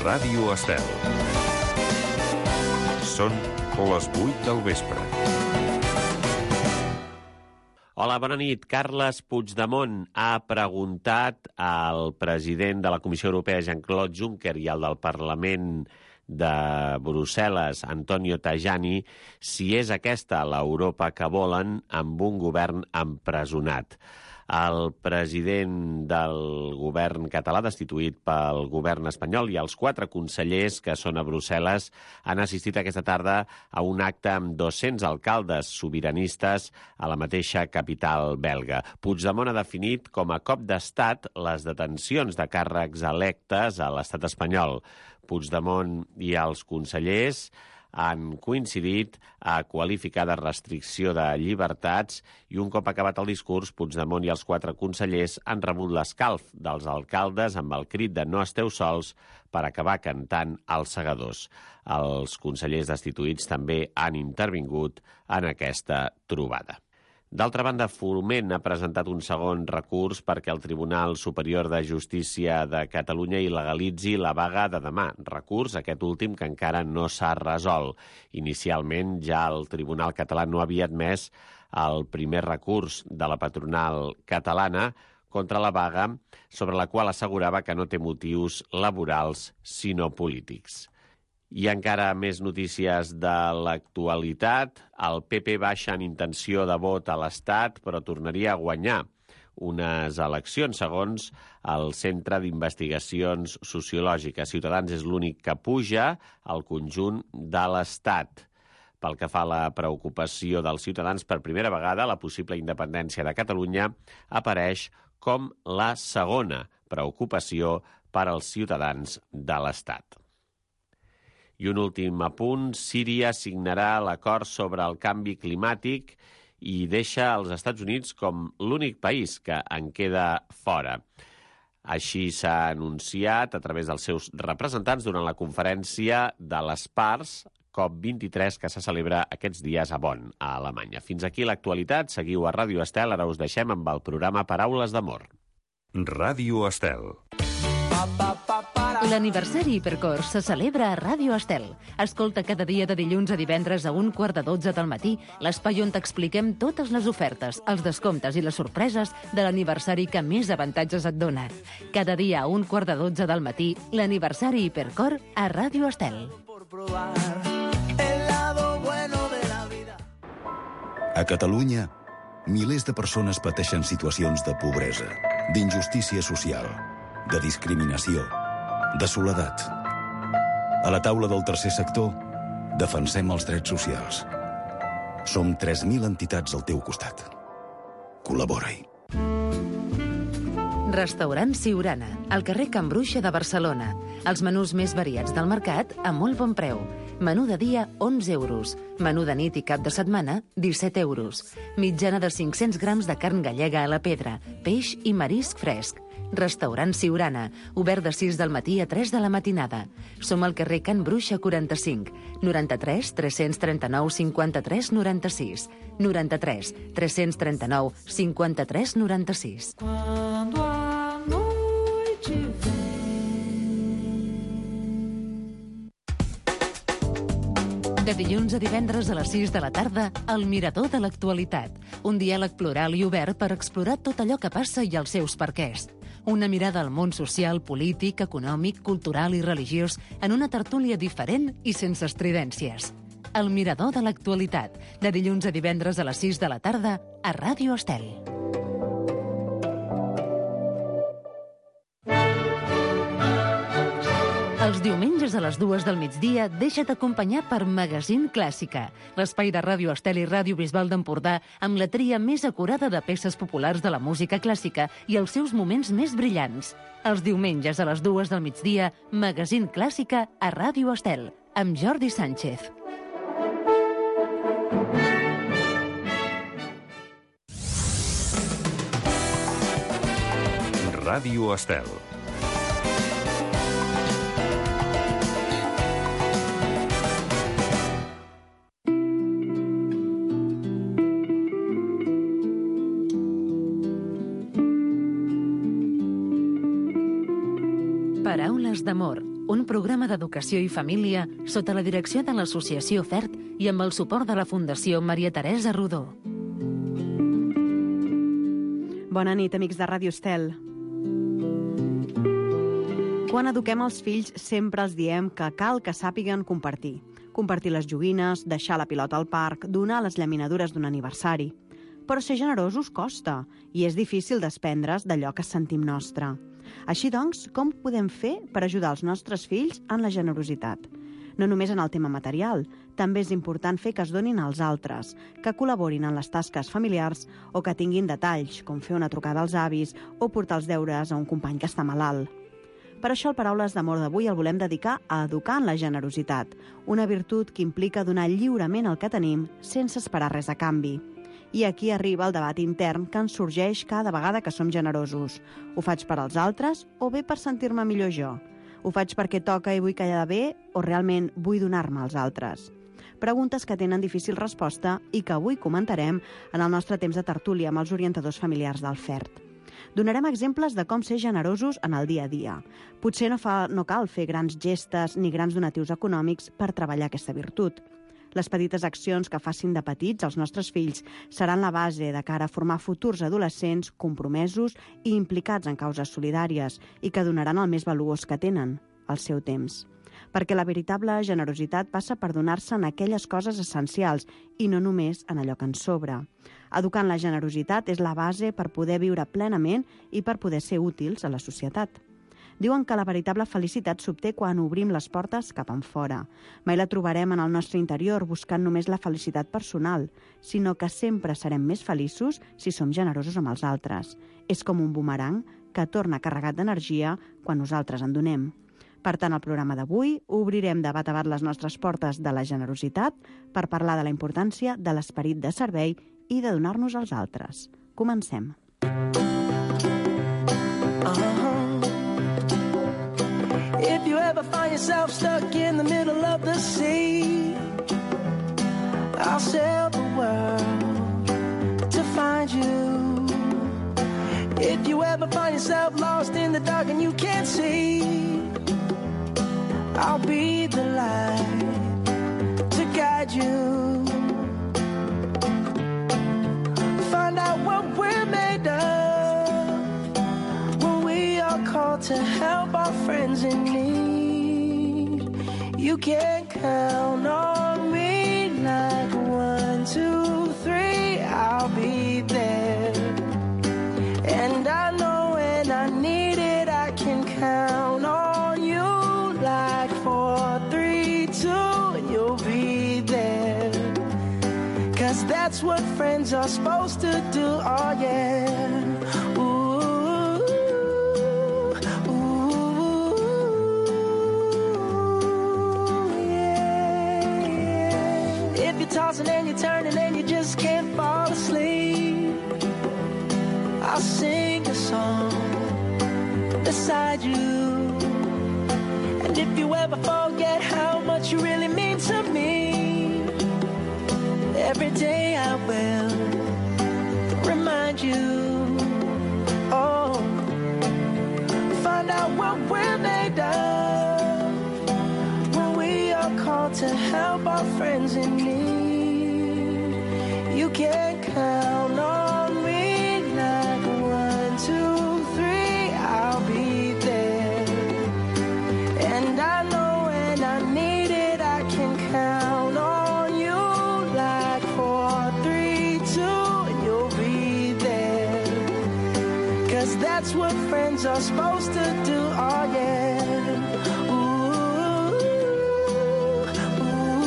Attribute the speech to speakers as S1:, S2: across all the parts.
S1: Ràdio Estel. Són les 8 del vespre.
S2: Hola, bona nit. Carles Puigdemont ha preguntat al president de la Comissió Europea, Jean-Claude Juncker, i al del Parlament de Brussel·les, Antonio Tajani, si és aquesta l'Europa que volen amb un govern empresonat. El president del govern català, destituït pel govern espanyol, i els 4 consellers que són a Brussel·les han assistit aquesta tarda a un acte amb 200 alcaldes sobiranistes a la mateixa capital belga. Puigdemont ha definit com a cop d'estat les detencions de càrrecs electes a l'estat espanyol. Puigdemont i els consellers han coincidit a qualificar de restricció de llibertats i un cop acabat el discurs, Puigdemont i els 4 consellers han rebut l'escalf dels alcaldes amb el crit de «No esteu sols» per acabar cantant als segadors. Els consellers destituïts també han intervingut en aquesta trobada. D'altra banda, Foment ha presentat un segon recurs perquè el Tribunal Superior de Justícia de Catalunya il·legalitzi la vaga de demà. Recurs, aquest últim, que encara no s'ha resolt. Inicialment, ja el Tribunal català no havia admès el primer recurs de la patronal catalana contra la vaga, sobre la qual assegurava que no té motius laborals, sinó polítics. I encara més notícies de l'actualitat. El PP baixa en intenció de vot a l'Estat, però tornaria a guanyar unes eleccions, segons el Centre d'Investigacions Sociològiques. Ciutadans és l'únic que puja al conjunt de l'Estat. Pel que fa a la preocupació dels ciutadans, per primera vegada la possible independència de Catalunya apareix com la segona preocupació per als ciutadans de l'Estat. I un últim apunt, Síria signarà l'acord sobre el canvi climàtic i deixa els Estats Units com l'únic país que en queda fora. Així s'ha anunciat a través dels seus representants durant la conferència de les parts COP23 que se celebra aquests dies a Bonn, a Alemanya. Fins aquí l'actualitat. Seguiu a Ràdio Estel. Ara us deixem amb el programa Paraules d'Amor.
S1: Ràdio Estel.
S3: L'aniversari Hipercor se celebra a Ràdio Estel. Escolta cada dia de dilluns a divendres a 11:45 del matí l'espai on t'expliquem totes les ofertes, els descomptes i les sorpreses de l'aniversari que més avantatges et dona. Cada dia a 11:45 del matí, l'aniversari Hipercor a Ràdio Estel.
S4: A Catalunya, milers de persones pateixen situacions de pobresa, d'injustícia social, de discriminació, de soledat. A la taula del tercer sector, defensem els drets socials. Som 3.000 entitats al teu costat. Col·labora-hi.
S3: Restaurant Siurana, al carrer Can Bruixa de Barcelona. Els menús més variats del mercat a molt bon preu. Menú de dia, 11 euros. Menú de nit i cap de setmana, 17 euros. Mitjana de 500 grams de carn gallega a la pedra, peix i marisc fresc. Restaurant Siurana, obert de 6 del matí a 3 de la matinada. Som al carrer Can Bruixa 45, 93 339 53 96, 93 339 53 96. De dilluns a divendres a les 6 de la tarda, El Mirador de l'Actualitat. Un diàleg plural i obert per explorar tot allò que passa i els seus perquès. Una mirada al món social, polític, econòmic, cultural i religiós en una tertúlia diferent i sense estridències. El Mirador de l'Actualitat. De dilluns a divendres a les 6 de la tarda a Ràdio Estel. Els diumenges a les 2 del migdia deixa't acompanyar per Magazín Clàssica, l'espai de Ràdio Estel i Ràdio Bisbal d'Empordà amb la tria més acurada de peces populars de la música clàssica i els seus moments més brillants. Els diumenges a les 2 del migdia, Magazín Clàssica a Ràdio Estel, amb Jordi Sánchez.
S1: Ràdio Estel.
S3: Paraules d'amor, un programa d'educació i família sota la direcció de l'Associació FERT i amb el suport de la Fundació Maria Teresa Rodó.
S5: Bona nit, amics de Ràdio Estel. Quan eduquem els fills sempre els diem que cal que sàpiguen compartir. Compartir les joguines, deixar la pilota al parc, donar les llaminadures d'un aniversari. Però ser generosos costa i és difícil desprendre's d'allò que sentim nostre. Així doncs, com podem fer per ajudar els nostres fills en la generositat? No només en el tema material, també és important fer que es donin als altres, que col·laborin en les tasques familiars o que tinguin detalls, com fer una trucada als avis o portar els deures a un company que està malalt. Per això el Paraules d'Amor d'avui el volem dedicar a educar en la generositat, una virtut que implica donar lliurement el que tenim sense esperar res a canvi. I aquí arriba el debat intern que ens sorgeix cada vegada que som generosos. Ho faig per als altres o bé per sentir-me millor jo? Ho faig perquè toca i vull quedar bé o realment vull donar-me als altres? Preguntes que tenen difícil resposta i que avui comentarem en el nostre temps de tertúlia amb els orientadors familiars del FERT. Donarem exemples de com ser generosos en el dia a dia. Potser no cal fer grans gestes ni grans donatius econòmics per treballar aquesta virtut. Les petites accions que facin de petits els nostres fills seran la base de cara a formar futurs adolescents compromesos i implicats en causes solidàries i que donaran el més valuós que tenen, el seu temps. Perquè la veritable generositat passa per donar-se en aquelles coses essencials i no només en allò que ens sobra. Educar en la generositat és la base per poder viure plenament i per poder ser útils a la societat. Diuen que la veritable felicitat s'obté quan obrim les portes cap enfora. Mai la trobarem en el nostre interior buscant només la felicitat personal, sinó que sempre serem més feliços si som generosos amb els altres. És com un bumerang que torna carregat d'energia quan nosaltres en donem. Per tant, al programa d'avui obrirem de bat a bat les nostres portes de la generositat per parlar de la importància de l'esperit de servei i de donar-nos als altres. Comencem.
S6: If you ever find yourself stuck in the middle of the sea, I'll sail the world to find you. If you ever find yourself lost in the dark and you can't see, I'll be the light to guide you. Find out what we're made of when we are called to help our friends in need. You can count on me like 1, 2, 3, I'll be there. And I know when I need it, I can count on you like 4, 3, 2, and you'll be there. 'Cause that's what friends are supposed to do, oh yeah. Ooh, ooh, yeah. If you're tossing and you're turning and you just can't fall asleep, I'll sing a song beside you. And if you ever forget how much you really mean to me, every day I will remind you. Oh, find out what we're made of when we are called to help our friends in need. You can count on me like 1, 2, 3, I'll be there. And I know when I need it, I can count on you like 4, 3, 2, and you'll be there. 'Cause that's what friends are supposed to do, oh yeah. Ooh, ooh,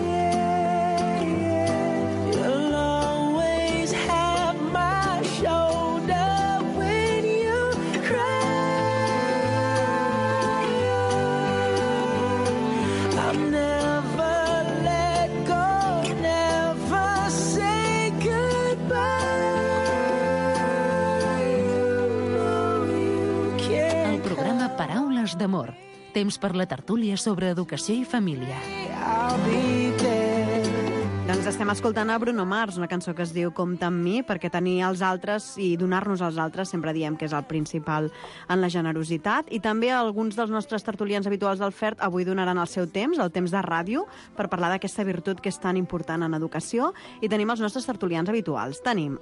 S6: yeah, yeah. You'll always have my shoulder when you cry. I'll never let go, never say goodbye.
S3: El programa Paraules d'Amor. Temps per la tertúlia sobre educació i família.
S6: I'll be there.
S5: Doncs estem escoltant a Bruno Mars, una cançó que es diu Compta amb mi, perquè tenir els altres i donar-nos als altres sempre diem que és el principal en la generositat. I també alguns dels nostres tertulians habituals del FERT avui donaran el seu temps, el temps de ràdio, per parlar d'aquesta virtut que és tan important en educació. I tenim els nostres tertulians habituals. Tenim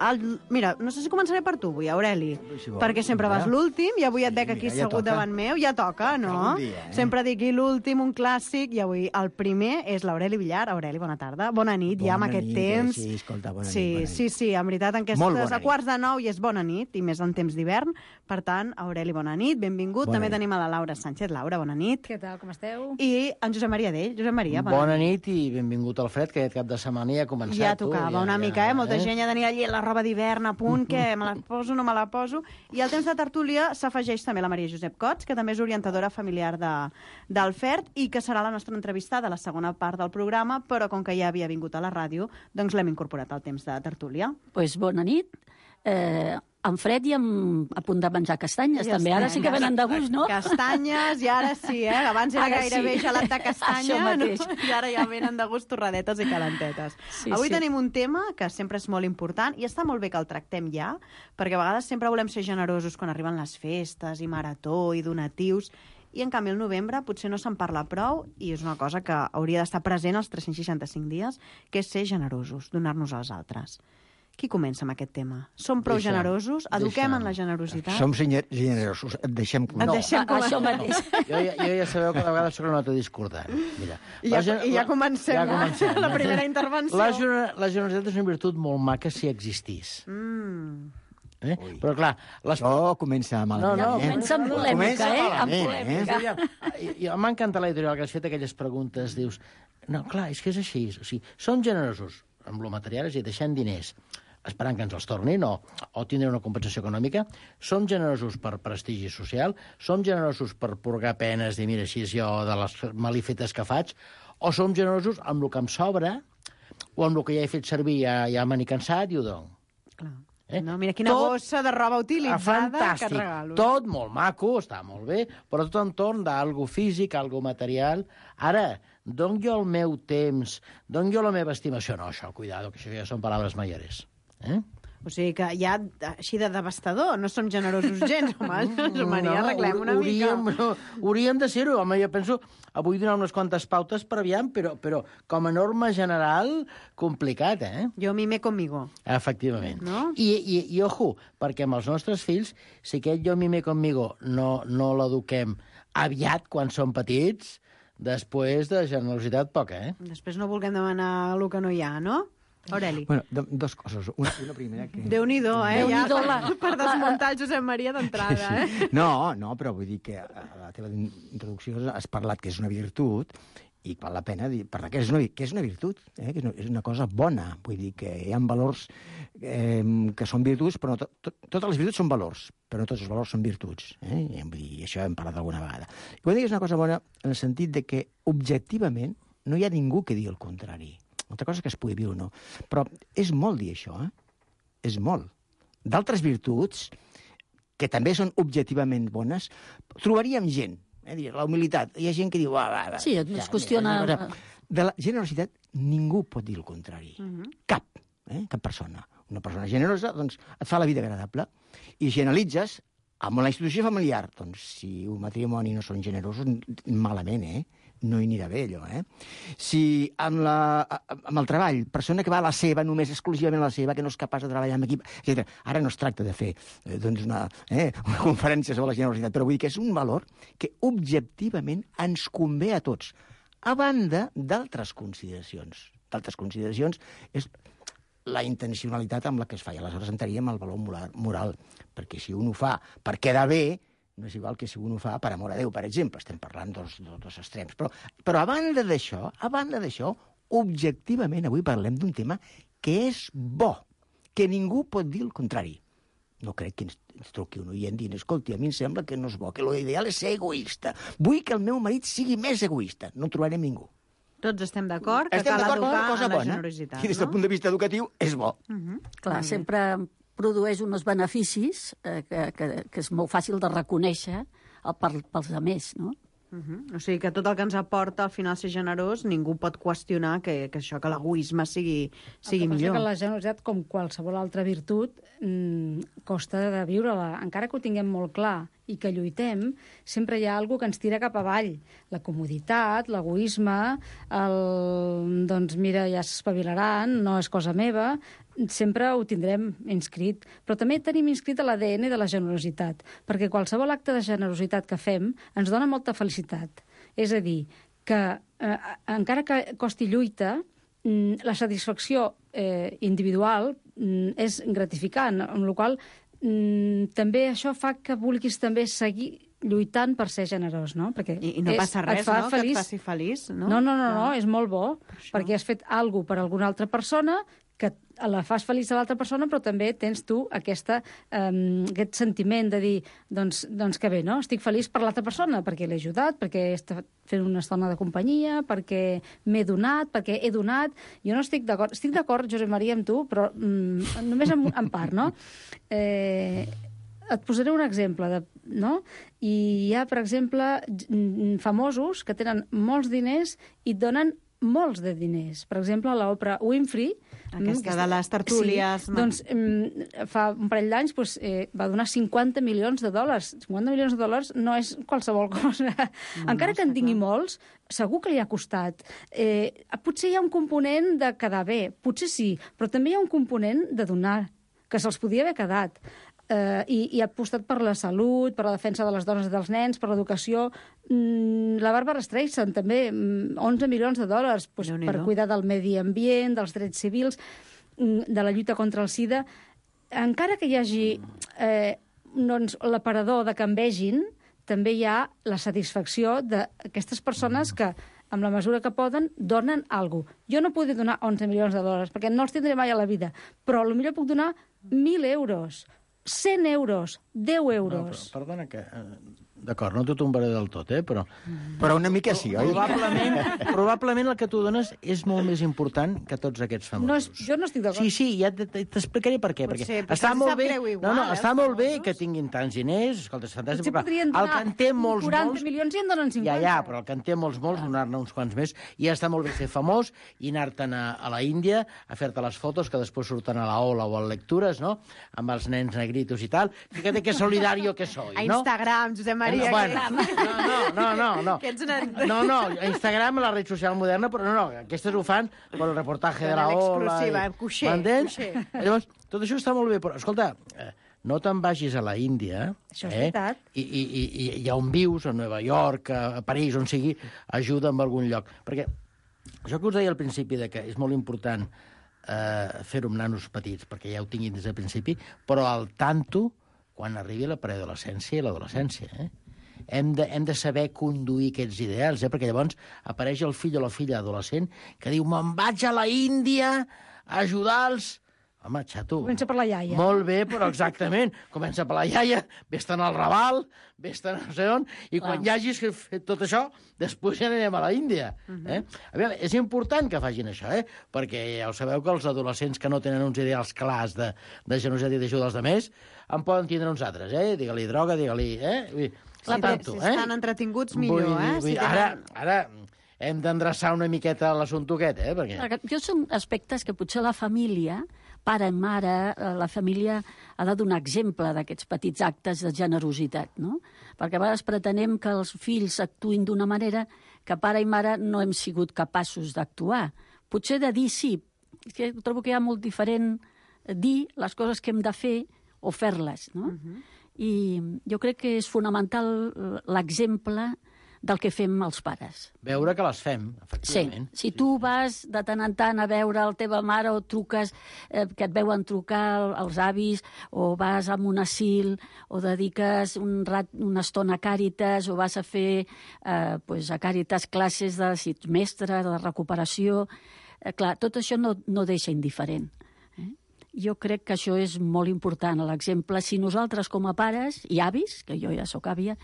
S5: mira, no sé si començaré per tu avui, Aureli, perquè sempre vas l'últim i avui et veig aquí assegut davant meu. Ja toca, no? Sempre dic l'últim, un clàssic, i avui el primer és l'Aureli Villar. Aureli, bona tarda. Bona nit. Ja amb aquest temps.
S7: Sí, escolta, bona nit.
S5: Sí, en veritat, en aquestes a quarts de 9 i és bona nit, i més en temps d'hivern. Per tant, Aureli, bona nit, benvingut. També tenim a la Laura Sánchez. Laura, bona nit.
S8: Què tal, com esteu?
S5: I en Josep Maria Dell. Josep Maria,
S7: bona nit i benvingut al fred, que aquest cap de setmana ja ha començat.
S5: Ja tocava una mica, molta gent ja tenia allí la roba d'hivern a punt, que me la poso, no me la poso. I al temps de tertúlia s'afegeix també la Maria Josep Cots, que també és orientadora familiar del FERT i que serà la nostra entrevistada a la segona part del programa, però com que ja havia vingut a la ràdio, doncs l'hem incorporat al temps de tertúlia.
S8: Pues bona nit. En fred i a punt de menjar castanyes, també. Ara sí que venen de gust, no?
S5: Castanyes, i ara sí, Abans era gairebé gelat de castanya, no? I ara ja venen de gust torradetes i calentetes. Avui tenim un tema que sempre és molt important i està molt bé que el tractem ja, perquè a vegades sempre volem ser generosos quan arriben les festes i marató i donatius, i en canvi el novembre potser no se'n parla prou i és una cosa que hauria d'estar present els 365 dies, que és ser generosos, donar-nos als altres. Qui comença amb aquest tema? Som prou generosos? Eduquem en la generositat?
S7: Som generosos, et deixem
S8: començar. Això mateix.
S7: Jo ja sabeu que de vegades soc una nota discordant. Mira,
S5: I ja comencem la primera intervenció.
S7: La generositat és una virtut molt maca si existís. Però clar...
S9: Això comença malament.
S8: No, comença amb polèmica, amb polèmica.
S7: M'ha encantat l'editorial que has fet aquelles preguntes, dius... No, clar, és que és així. O sigui, som generosos amb lo material, és a dir, deixant diners, esperant que ens els tornin o tindre una compensació econòmica. Som generosos per prestigi social, som generosos per purgar penes i mira, així és jo de les malifetes que faig, o som generosos amb el que em sobra o amb el que ja he fet servir, ja me n'he cansat i ho dono.
S5: Clar. No, mira quina bossa de roba utilitzada que et regalo.
S7: Tot molt maco, està molt bé, però tot entorn d'algo físic, algo material. Ara, dono jo el meu temps, dono jo la meva estimació. No, això, cuidado, que això ja són paraules mayores.
S5: O sigui que ja, així de devastador, no som generosos gens, home. Maria, arreglem una mica.
S7: Hauríem de ser-ho, home, jo penso, vull donar unes quantes pautes per aviam, però com a norma general, complicat,
S5: Jo mime conmigo.
S7: Efectivament.
S5: No?
S7: I ojo, perquè amb els nostres fills, si aquest jo mime conmigo no l'eduquem aviat quan són petits, després de generositat poca,
S5: Després no vulguem demanar el que no hi ha, no? Aureli.
S9: Bueno, dos coses. Una primera que...
S5: Déu-n'hi-do, per desmuntar el Josep Maria d'entrada,
S9: No, però vull dir que a la teva introducció has parlat que és una virtut i val la pena parlar que és una virtut, que és una cosa bona. Vull dir que hi ha valors que són virtuts, però no totes les virtuts són valors, però no tots els valors són virtuts. Vull dir, això hem parlat alguna vegada. I vull dir que és una cosa bona en el sentit de que objectivament no hi ha ningú que digui el contrari. Una altra cosa que es pugui dir o no. Però és molt dir això, És molt. D'altres virtuts, que també són objectivament bones, trobaríem gent. La humilitat. Hi ha gent que diu...
S8: Sí, es qüestiona...
S9: De la generositat ningú pot dir el contrari. Cap persona. Una persona generosa, doncs, et fa la vida agradable. I generalitzes amb la institució familiar. Doncs, si un matrimoni no són generosos, malament, no hi anirà bé, allò, Si amb el treball, persona que va a la seva, només exclusivament a la seva, que no és capaç de treballar en equip, etc. Ara no es tracta de fer una conferència sobre la generositat, però vull dir que és un valor que objectivament ens convé a tots, a banda d'altres consideracions. D'altres consideracions és la intencionalitat amb la que es fa. I aleshores entraríem el valor moral, perquè si un ho fa per quedar bé, no és igual que si un ho fa per amor a Déu, per exemple. Estem parlant dos extrems. Però a banda d'això, objectivament avui parlem d'un tema que és bo, que ningú pot dir el contrari. No crec que ens truqui un oient dient, escolti, a mi em sembla que no és bo, que l'ideal és ser egoista. Vull que el meu marit sigui més egoista. No trobarem ningú.
S5: Tots estem d'acord que cal educar en la generositat.
S9: I des del punt de vista educatiu és bo.
S8: Clar, sempre produeix uns beneficis que és molt fàcil de reconèixer pels altres, no?
S5: O sigui que tot el que ens aporta al final ser generós, ningú pot qüestionar que l'egoisme sigui millor.
S10: Que la generositat, com qualsevol altra virtut, costa de viure-la. Encara que ho tinguem molt clar i que lluitem, sempre hi ha alguna que ens tira cap avall. La comoditat, l'egoisme, doncs mira, ja s'espavilaran, no és cosa meva, sempre ho tindrem inscrit. Però també tenim inscrit a l'ADN de la generositat, perquè qualsevol acte de generositat que fem ens dona molta felicitat. És a dir, que encara que costi lluita, la satisfacció individual és gratificant, amb la qual cosa també això fa que vulguis també seguir lluitant per ser generós, no? Perquè
S5: I no passa res, no?, que et faci feliç, no?
S10: No, és molt bo, perquè has fet alguna cosa per alguna altra persona, que la fas feliç a l'altra persona, però també tens tu aquest sentiment de dir, doncs que bé, no? Estic feliç per l'altra persona, perquè l'he ajudat, perquè he estat fent una estona de companyia, perquè m'he donat, perquè he donat. Jo no estic d'acord. Estic d'acord, Josep Maria, amb tu, però només en part, no? Et posaré un exemple, no? I hi ha, per exemple, famosos que tenen molts diners i et donen molts de diners. Per exemple, l'Oprah Winfrey...
S5: Aquesta de les tertúlies...
S10: Sí, doncs fa un parell d'anys va donar $50 milions. $50 milions no és qualsevol cosa. Encara que en tingui molts, segur que li ha costat. Potser hi ha un component de quedar bé, potser sí, però també hi ha un component de donar, que se'ls podia haver quedat. I ha apostat per la salut, per la defensa de les dones i dels nens, per l'educació. La Barbara Streisand, també, $11 milions per cuidar del medi ambient, dels drets civils, de la lluita contra el SIDA. Encara que hi hagi l'aparador de que en vegin, també hi ha la satisfacció d'aquestes persones que, amb la mesura que poden, donen alguna cosa. Jo no podré donar $11 milions, perquè no els tindré mai a la vida, però potser puc donar 1.000 euros, 100 euros, 10 euros.
S7: No, perdona que... D'acord, no t'ho tombaré del tot, però...
S9: Però una mica sí, oi?
S7: Probablement el que tu dones és molt més important que tots aquests famosos.
S10: Jo no estic d'acord.
S7: Sí, ja t'explicaré per què. Perquè està molt bé, està molt bé que tinguin tants diners, escolta, és fantàstic, però el que en té molts...
S10: 40 milions i en donen 50.
S7: Ja, però el que en té molts, donar-ne uns quants més, i ja està molt bé ser famós i anar-te'n a la Índia a fer-te les fotos que després surten a la Ola o a Lectures, no?, amb els nens negritos i tal. Fíjate que solidario que soy, no?
S5: A Instagram, Josep Maria.
S7: No, a Instagram, la red social moderna, però no, aquestes ho fan per el reportatge de la Ola.
S5: L'exclusiva, cuixer.
S7: Llavors, tot això està molt bé, però, escolta, no te'n vagis a la Índia,
S10: això és veritat,
S7: i on vius, a Nova York, a París, on sigui, ajuda en algun lloc. Perquè això que us deia al principi, que és molt important fer-ho amb nanos petits, perquè ja ho tinguin des del principi, però al tanto quan arribi la preadolescència i l'adolescència, Hem de saber conduir aquests ideals, perquè llavors apareix el fill o la filla adolescent que diu, me'n vaig a la Índia a ajudar-los. Home, xato.
S10: Comença per la iaia.
S7: Molt bé, però exactament. Comença per la iaia, vés-te'n al Raval, vés-te'n no sé on, i quan ja hagis fet tot això, després ja anirem a la Índia. A veure, és important que facin això, perquè ja ho sabeu que els adolescents que no tenen uns ideals clars de generositat i d'ajuda als altres en poden tindre uns altres, Digue-li droga, digue-li...
S5: Si estan entretinguts, millor,
S7: Ara hem d'endreçar una miqueta l'assumpte aquest, perquè...
S8: Jo són aspectes que potser la família, pare i mare, la família ha de donar exemple d'aquests petits actes de generositat, no? Perquè a vegades pretenem que els fills actuïn d'una manera que pare i mare no hem sigut capaços d'actuar. Potser de dir sí, que trobo que hi ha molt diferent dir les coses que hem de fer o fer-les, no? I jo crec que és fonamental l'exemple del que fem els pares.
S7: Veure que les fem, efectivament.
S8: Sí. Si tu vas de tant en tant a veure la teva mare o truques, que et veuen trucar els avis, o vas a un asil, o dediques una estona a Càritas, o vas a fer a Càritas classes de mestre, de recuperació... Clar, tot això no deixa indiferent. Jo crec que això és molt important, l'exemple. Si nosaltres com a pares i avis, que jo ja sóc àvia,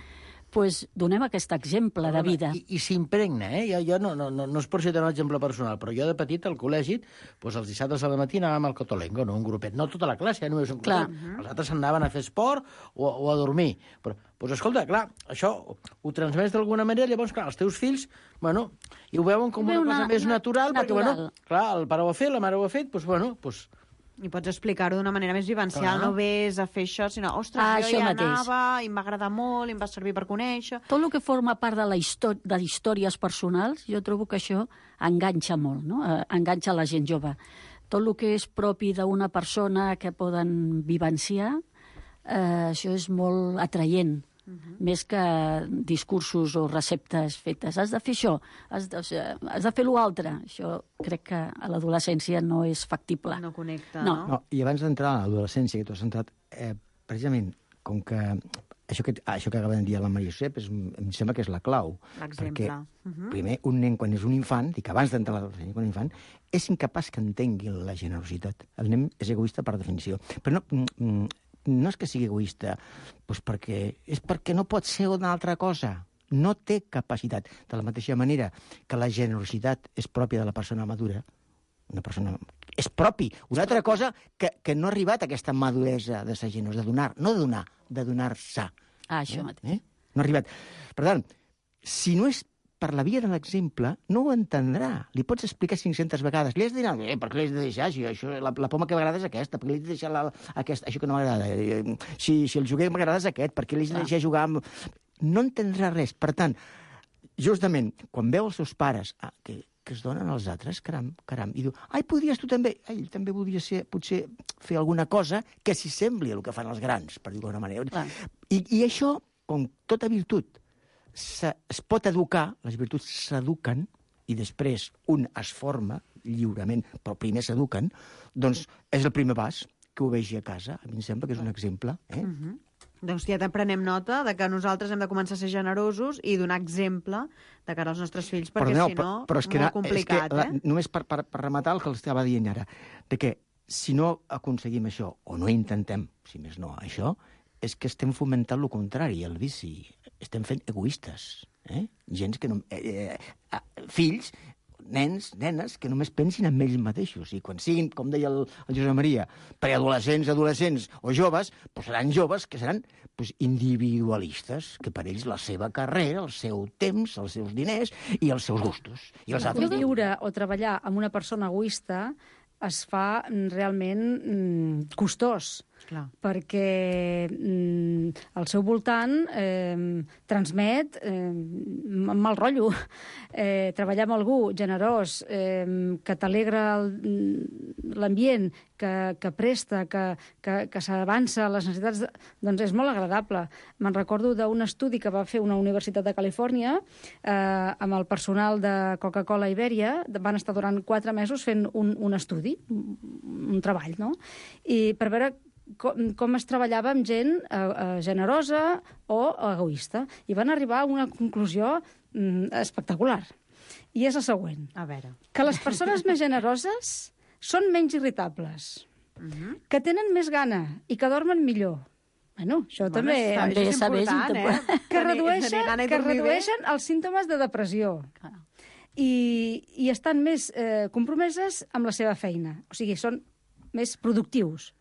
S8: doncs donem aquest exemple de vida.
S7: I s'impregna, Jo no és per citar un exemple personal, però jo de petit al col·legi, doncs els dissabtes a la matí anàvem al Cotolengo, no? Un grupet, no tota la classe, només un grupet. Els altres anaven a fer esport o a dormir. Però, doncs escolta, clar, això ho transmets d'alguna manera, llavors, clar, els teus fills, bueno, i ho veuen com una cosa més natural, perquè, bueno, clar, el pare ho ha fet, la mare ho ha fet, doncs,
S5: I pots explicar-ho d'una manera més vivencial, no ves a fer això, sinó, ostres, jo hi anava, i em va agradar molt, i em va servir per conèixer...
S8: Tot el que forma part de històries personals, jo trobo que això enganxa molt, no? Enganxa la gent jove. Tot el que és propi d'una persona que poden vivenciar, això és molt atraient. Més que discursos o receptes fetes. Has de fer això, has de fer l'altre. Això crec que a l'adolescència no és factible.
S5: No connecta,
S9: no? I abans d'entrar a l'adolescència, que tu has entrat, precisament, com que això que acaba de dir la Maria Josep, em sembla que és la clau.
S5: L'exemple.
S9: Perquè, primer, un nen, quan és un infant, dic abans d'entrar a l'adolescència, quan és un infant, és incapaç que entengui la generositat. El nen és egoista per definició. Però no és que sigui egoista, doncs perquè no pot ser una altra cosa. No té capacitat. De la mateixa manera que la generositat és pròpia de la persona madura, una persona... És propi. Una altra cosa que no ha arribat a aquesta maduresa de ser generós, de donar, no de donar, de donar-se.
S8: Això mateix.
S9: No ha arribat. Per tant, si no és per la via de l'exemple, no ho entendrà. Li pots explicar 500 vegades. Li has de dir, per què li has de deixar? La poma que m'agrada és aquesta, per què li has de deixar aquesta? Això que no m'agrada. Si el joguer m'agrada és aquest, per què li has de deixar jugar amb... No entendrà res. Per tant, justament, quan veu els seus pares que es donen als altres, caram, i diu, ai, podries tu també? Ell també voldria potser fer alguna cosa que s'hi sembli a el que fan els grans, per dir-ho d'alguna manera. I això, com tota virtut, es pot educar, les virtuts s'eduquen, i després un es forma lliurement, però primer s'eduquen, doncs és el primer pas que ho vegi a casa. A mi em sembla que és un exemple.
S5: Doncs ja prenem nota de que nosaltres hem de començar a ser generosos i donar exemple de cara als nostres fills, perquè si no, és molt complicat.
S9: Només per rematar el que estava dient ara, de que si no aconseguim això, o no intentem, si més no, això, és que estem fomentant el contrari, el vici. Estem fent egoistes. Gens que no... fills, nens, nenes, que només pensin en ells mateixos. I quan siguin, com deia el Josep Maria, preadolescents, adolescents o joves, doncs seran joves que seran individualistes, que per ells la seva carrera, el seu temps, els seus diners i els seus gustos. I els altres...
S10: Viure o treballar amb una persona egoista es fa realment costós.
S5: Clar.
S10: Perquè al seu voltant transmet mal rotllo. Treballar amb algú generós, que t'alegra l'ambient, que presta, que s'avança a les necessitats, doncs és molt agradable. Me'n recordo d'un estudi que va fer una universitat de Califòrnia amb el personal de Coca-Cola Ibèria. Van estar durant 4 mesos fent un estudi, un treball, no? I per veure com es treballava amb gent generosa o egoista. I van arribar a una conclusió espectacular. I és la següent.
S5: A veure.
S10: Que les persones més generoses són menys irritables, que tenen més gana i que dormen millor. Bueno, això també
S5: és important,
S10: que redueixen els símptomes de depressió. I estan més compromeses amb la seva feina. O sigui, són més productius.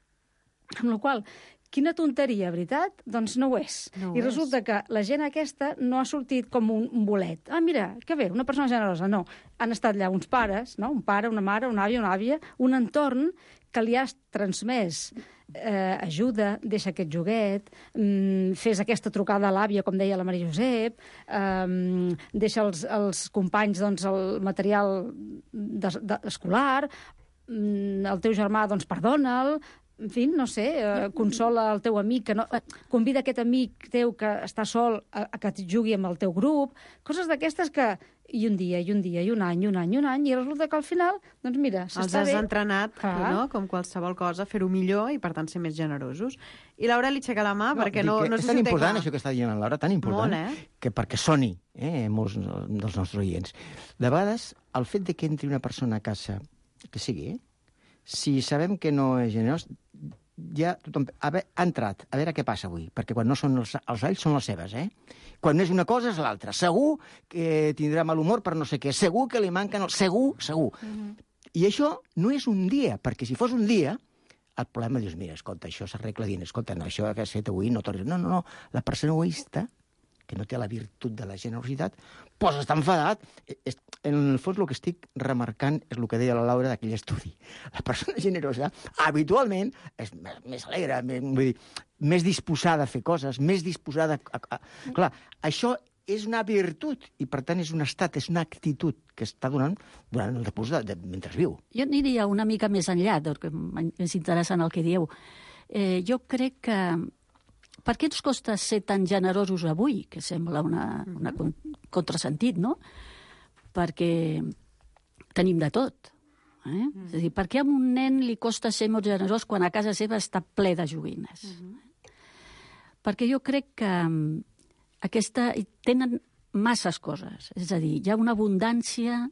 S10: Amb la qual cosa, quina tonteria, veritat? Doncs no ho és. I resulta que la gent aquesta no ha sortit com un bolet. Ah, mira, que bé, una persona generosa. No, han estat allà uns pares, no? Un pare, una mare, una àvia, un entorn que li ha transmès ajuda, deixa aquest joguet, fes aquesta trucada a l'àvia, com deia la Maria Josep, deixa als companys doncs, el material escolar, el teu germà, doncs, perdona'l, en fi, no sé, consola el teu amic, convida aquest amic teu que està sol a que jugui amb el teu grup, coses d'aquestes que... I un dia, i un any, i resulta que al final, doncs mira, s'està bé.
S5: Els has entrenat, no? Com qualsevol cosa, fer-ho millor i, per tant, ser més generosos. I Laura li aixeca la mà perquè no
S9: és tan important, això que està dient la Laura, tan important, que perquè soni molts dels nostres oients. De vegades, el fet de que entri una persona a casa, que sigui, si sabem que no és generós, ja tothom ha entrat, a veure què passa avui, perquè quan no són els alls són les seves, Quan no és una cosa és l'altra. Segur que tindrà mal humor per no sé què, segur que li manquen... Segur. I això no és un dia, perquè si fos un dia, el problema dius, mira, escolta, això s'arregla dient, escolta, no, això que has fet avui no tornis... No, la persona egoista, que no té la virtut de la generositat, doncs està enfadat. En el fons el que estic remarcant és el que deia la Laura d'aquell estudi. La persona generosa habitualment és més alegre, vull dir, més disposada a fer coses, més disposada a... Clar, això és una virtut i, per tant, és un estat, és una actitud que està donant durant el decurs mentre viu.
S8: Jo aniria una mica més enllà, perquè és interessant el que dieu. Jo crec que per què ens costa ser tan generosos avui, que sembla una contrasentit, no? Perquè tenim de tot. És a dir, per què a un nen li costa ser molt generós quan a casa seva està ple de joguines? Perquè jo crec que tenen masses coses. És a dir, hi ha una abundància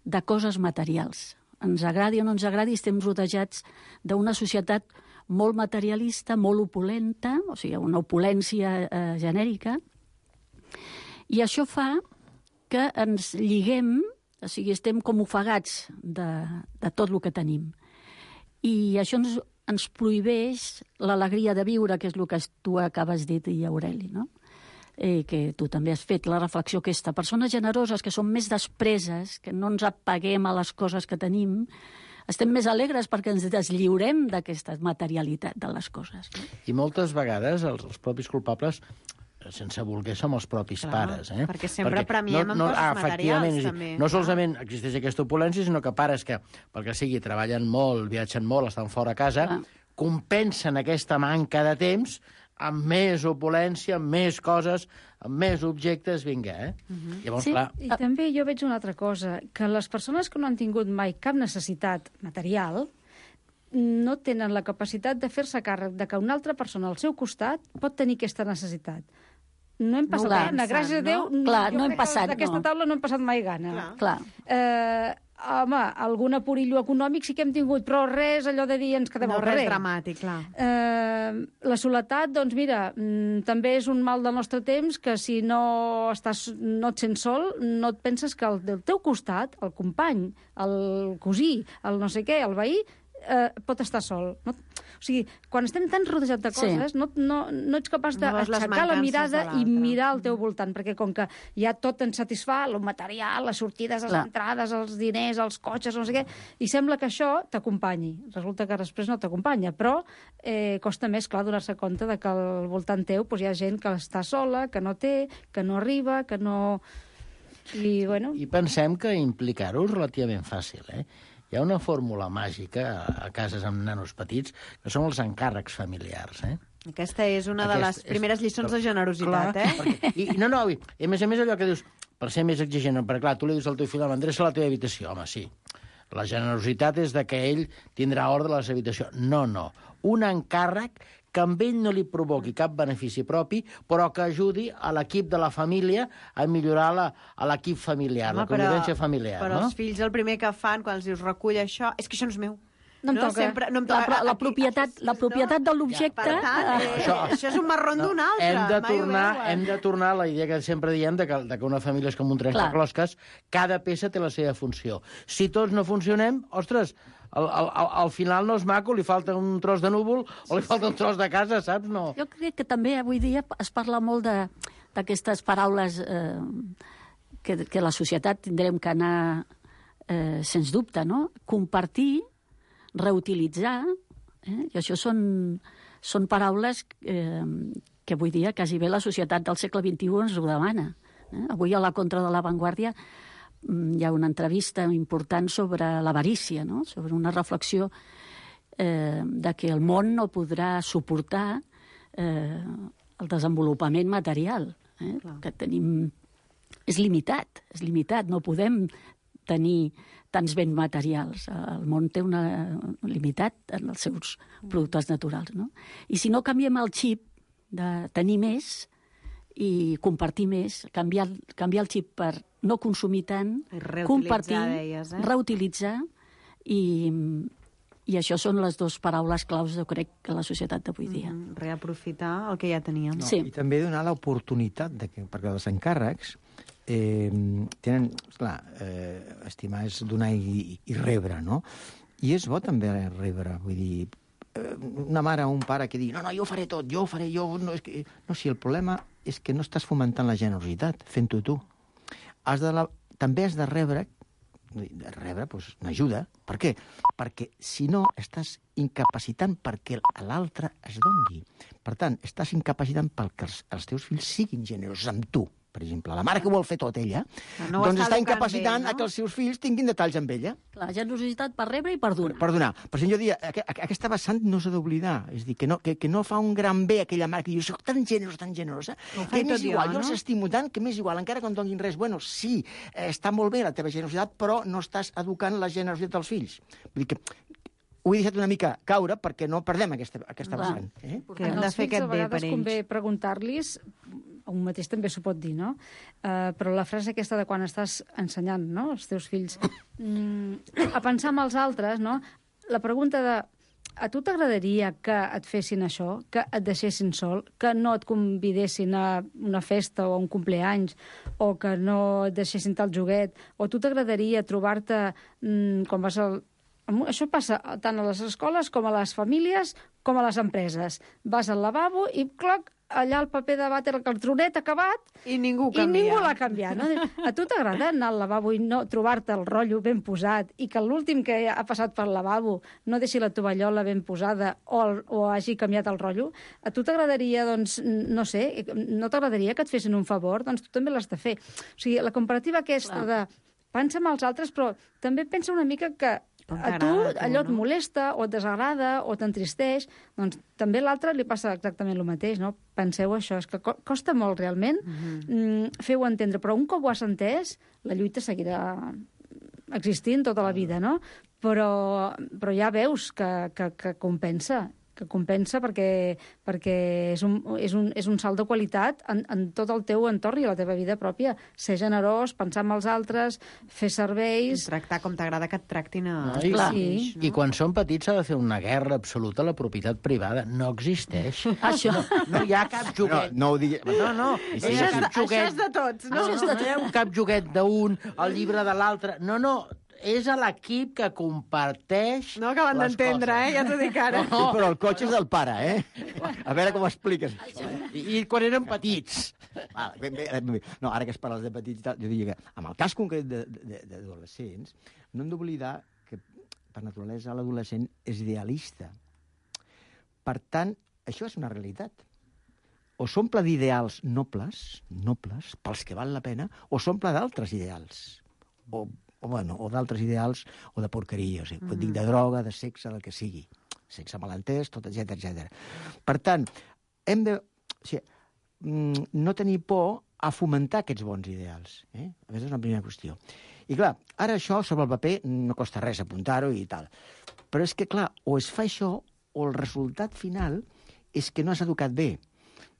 S8: de coses materials. Ens agradi o no ens agradi, estem rodejats d'una societat molt materialista, molt opulenta, o sigui, una opulència genèrica, i això fa que ens lliguem, o sigui, estem com ofegats de tot el que tenim. I això ens prohibeix l'alegria de viure, que és el que tu acabes de dir, Aureli, no? Que tu també has fet la reflexió aquesta. Persones generoses que són més despreses, que no ens apaguem a les coses que tenim, estem més alegres perquè ens deslliurem d'aquesta materialitat de les coses. No?
S7: I moltes vegades els propis culpables, sense voler, som els propis pares.
S5: Perquè sempre premiem amb coses materials, també.
S7: No solament existeix aquesta opulència, sinó que pares que, pel que sigui, treballen molt, viatgen molt, estan fora a casa, compensen aquesta manca de temps amb més opulència, amb més coses, amb més objectes, vinga, Llavors,
S10: sí,
S7: clar...
S10: I també jo veig una altra cosa, que les persones que no han tingut mai cap necessitat material no tenen la capacitat de fer-se càrrec de que una altra persona al seu costat pot tenir aquesta necessitat. No hem passat gana, gràcies a Déu.
S8: Clar, no hem passat,
S10: d'aquesta taula no hem passat mai gana.
S8: Clar.
S10: Home, algun apurillo econòmic sí que hem tingut, però res allò de dir ens quedem al carrer.
S5: No, res dramàtic, clar.
S10: La soledat, doncs mira, també és un mal del nostre temps que si no et sents sol, no et penses que el del teu costat, el company, el cosí, el no sé què, el veí, pot estar sol. No? O sigui, quan estem tan rodejats de coses, no ets capaç d'aixecar la mirada i mirar al teu voltant, perquè com que ja tot ens satisfà, el material, les sortides, les entrades, els diners, els cotxes, no sé què, i sembla que això t'acompanyi. Resulta que després no t'acompanya, però costa més, clar, donar-se compte de que al voltant teu hi ha gent que està sola, que no té, que no arriba, que no... I
S7: pensem que implicar-ho és relativament fàcil, Hi ha una fórmula màgica a cases amb nanos petits que són els encàrrecs familiars,
S5: Aquesta és una de les primeres lliçons de generositat,
S7: Perquè, i a més allò que dius, per ser més exigent, perquè clar, tu li dius al teu fill, m'endreça a la teva habitació, home, sí. La generositat és de que ell tindrà ordre a la seva habitació. No. Un encàrrec que amb ell no li provoqui cap benefici propi, però que ajudi a l'equip de la família a millorar l'equip familiar, la convivència familiar.
S5: Però els fills el primer que fan quan els dius recull això, és que això no és meu.
S10: No em toca.
S5: Sempre, no em toca.
S8: La propietat de l'objecte...
S5: Per tant, això és un marró d'un altre.
S7: Hem de tornar a la idea que sempre diem de que una família és com un trencaclosques, cada peça té la seva funció. Si tots no funcionem, ostres, al final no és maco, li falta un tros de núvol o li falta un tros de casa, saps? No.
S8: Jo crec que també avui dia es parla molt d'aquestes paraules que la societat tindrem que anar, sens dubte, no? Compartir, reutilitzar, i això són paraules que avui dia quasi bé la societat del segle XXI ens ho demana. Avui a la Contra de l'Avantguàrdia hi ha una entrevista important sobre l'avarícia, no? Sobre una reflexió de que el món no podrà suportar el desenvolupament material, que tenim... És limitat, no podem tenir tants béns materials. El món té una limitat en els seus productes naturals, no? I si no canviem el xip de tenir més i compartir més, canviar el xip per no consumir tant, compartir, reutilitzar i I això són les dues paraules claus, jo crec, que la societat d'avui dia.
S5: Reaprofitar el que ja teníem.
S9: No,
S8: Sí.
S9: I també donar l'oportunitat, perquè els encàrrecs tenen... Clar, estimar és donar i rebre, no? I és bo també rebre, vull dir, una mare o un pare que digui no, jo ho faré tot, jo ho faré, No, si el problema és que no estàs fomentant la generositat, fent-ho tu. També has de rebre doncs, una ajuda. Per què? Perquè, si no, estàs incapacitant perquè l'altre es doni. Per tant, estàs incapacitant perquè els teus fills siguin generosos amb tu. Per exemple, la mare que vol fer tot ella, doncs està incapacitant que els seus fills tinguin detalls amb ella.
S8: La generositat per rebre i per donar.
S9: Per donar. Per això jo diria, aquesta vessant no s'ha d'oblidar. És dir, que no fa un gran bé aquella mare que diu, soc tan generosa, que m'és igual, jo els estimo tant, que m'és igual, encara que em donin res. Bueno, sí, està molt bé la teva generositat, però no estàs educant la generositat dels fills. Vull dir que ho he deixat una mica caure perquè no perdem aquesta vessant.
S5: Que hem de fer aquest bé per ells.
S10: Convé preguntar-los, un mateix també s'ho pot dir, no? Però la frase aquesta de quan estàs ensenyant, no?, els teus fills a pensar en els altres, no? La pregunta de a tu t'agradaria que et fessin això, que et deixessin sol, que no et convidessin a una festa o a un compleanys, o que no et deixessin tal joguet, o a tu t'agradaria trobar-te quan vas al... Això passa tant a les escoles com a les famílies com a les empreses. Vas al lavabo i, cloc, allà el paper de vàter, el cartronet acabat,
S5: i ningú
S10: l'ha canviat. No? A tu t'agrada anar al lavabo i no trobar-te el rotllo ben posat i que l'últim que ha passat pel lavabo no deixi la tovallola ben posada o hagi canviat el rotllo? A tu t'agradaria, doncs, no sé, no t'agradaria que et fessin un favor? Doncs tu també l'has de fer. O sigui, la comparativa aquesta de pensa en els altres, però també pensa una mica que a tu allò et molesta o et desagrada o t'entristeix, doncs també a l'altre li passa exactament el mateix, no? Penseu això, és que costa molt realment fer-ho entendre, però un cop ho has entès, la lluita seguirà existint tota la vida, no? Però ja veus que compensa, perquè és un salt de qualitat en tot el teu entorn i la teva vida pròpia. Ser generós, pensar en els altres, fer serveis...
S5: Tractar com t'agrada que et tractin a...
S7: Sí. I quan són petits s'ha de fer una guerra absoluta a la propietat privada. No existeix.
S8: Això.
S7: No hi ha cap joguet.
S9: No ho digui...
S7: No.
S5: Això és de tots, no?
S7: No hi ha cap joguet d'un, el llibre de l'altre. No. És a l'equip que comparteix
S5: no acaben d'entendre, ja t'ho dic ara.
S9: Sí, però el cotxe és del pare, A veure com ho expliques.
S7: I quan eren petits.
S9: No, ara que es parles de petits, jo diria que amb el cas concret d'adolescents no hem d'oblidar que per naturalesa l'adolescent és idealista. Per tant, això és una realitat. O s'omple d'ideals nobles, pels que val la pena, o s'omple d'altres ideals. O d'altres ideals, o de porqueria, pot dir de droga, de sexe, del que sigui. Sexe malentès, tot, etc. Per tant, hem de no tenir por a fomentar aquests bons ideals. Aquesta és una primera qüestió. I clar, ara això sobre el paper no costa res apuntar-ho i tal. Però és que, clar, o es fa això o el resultat final és que no has educat bé.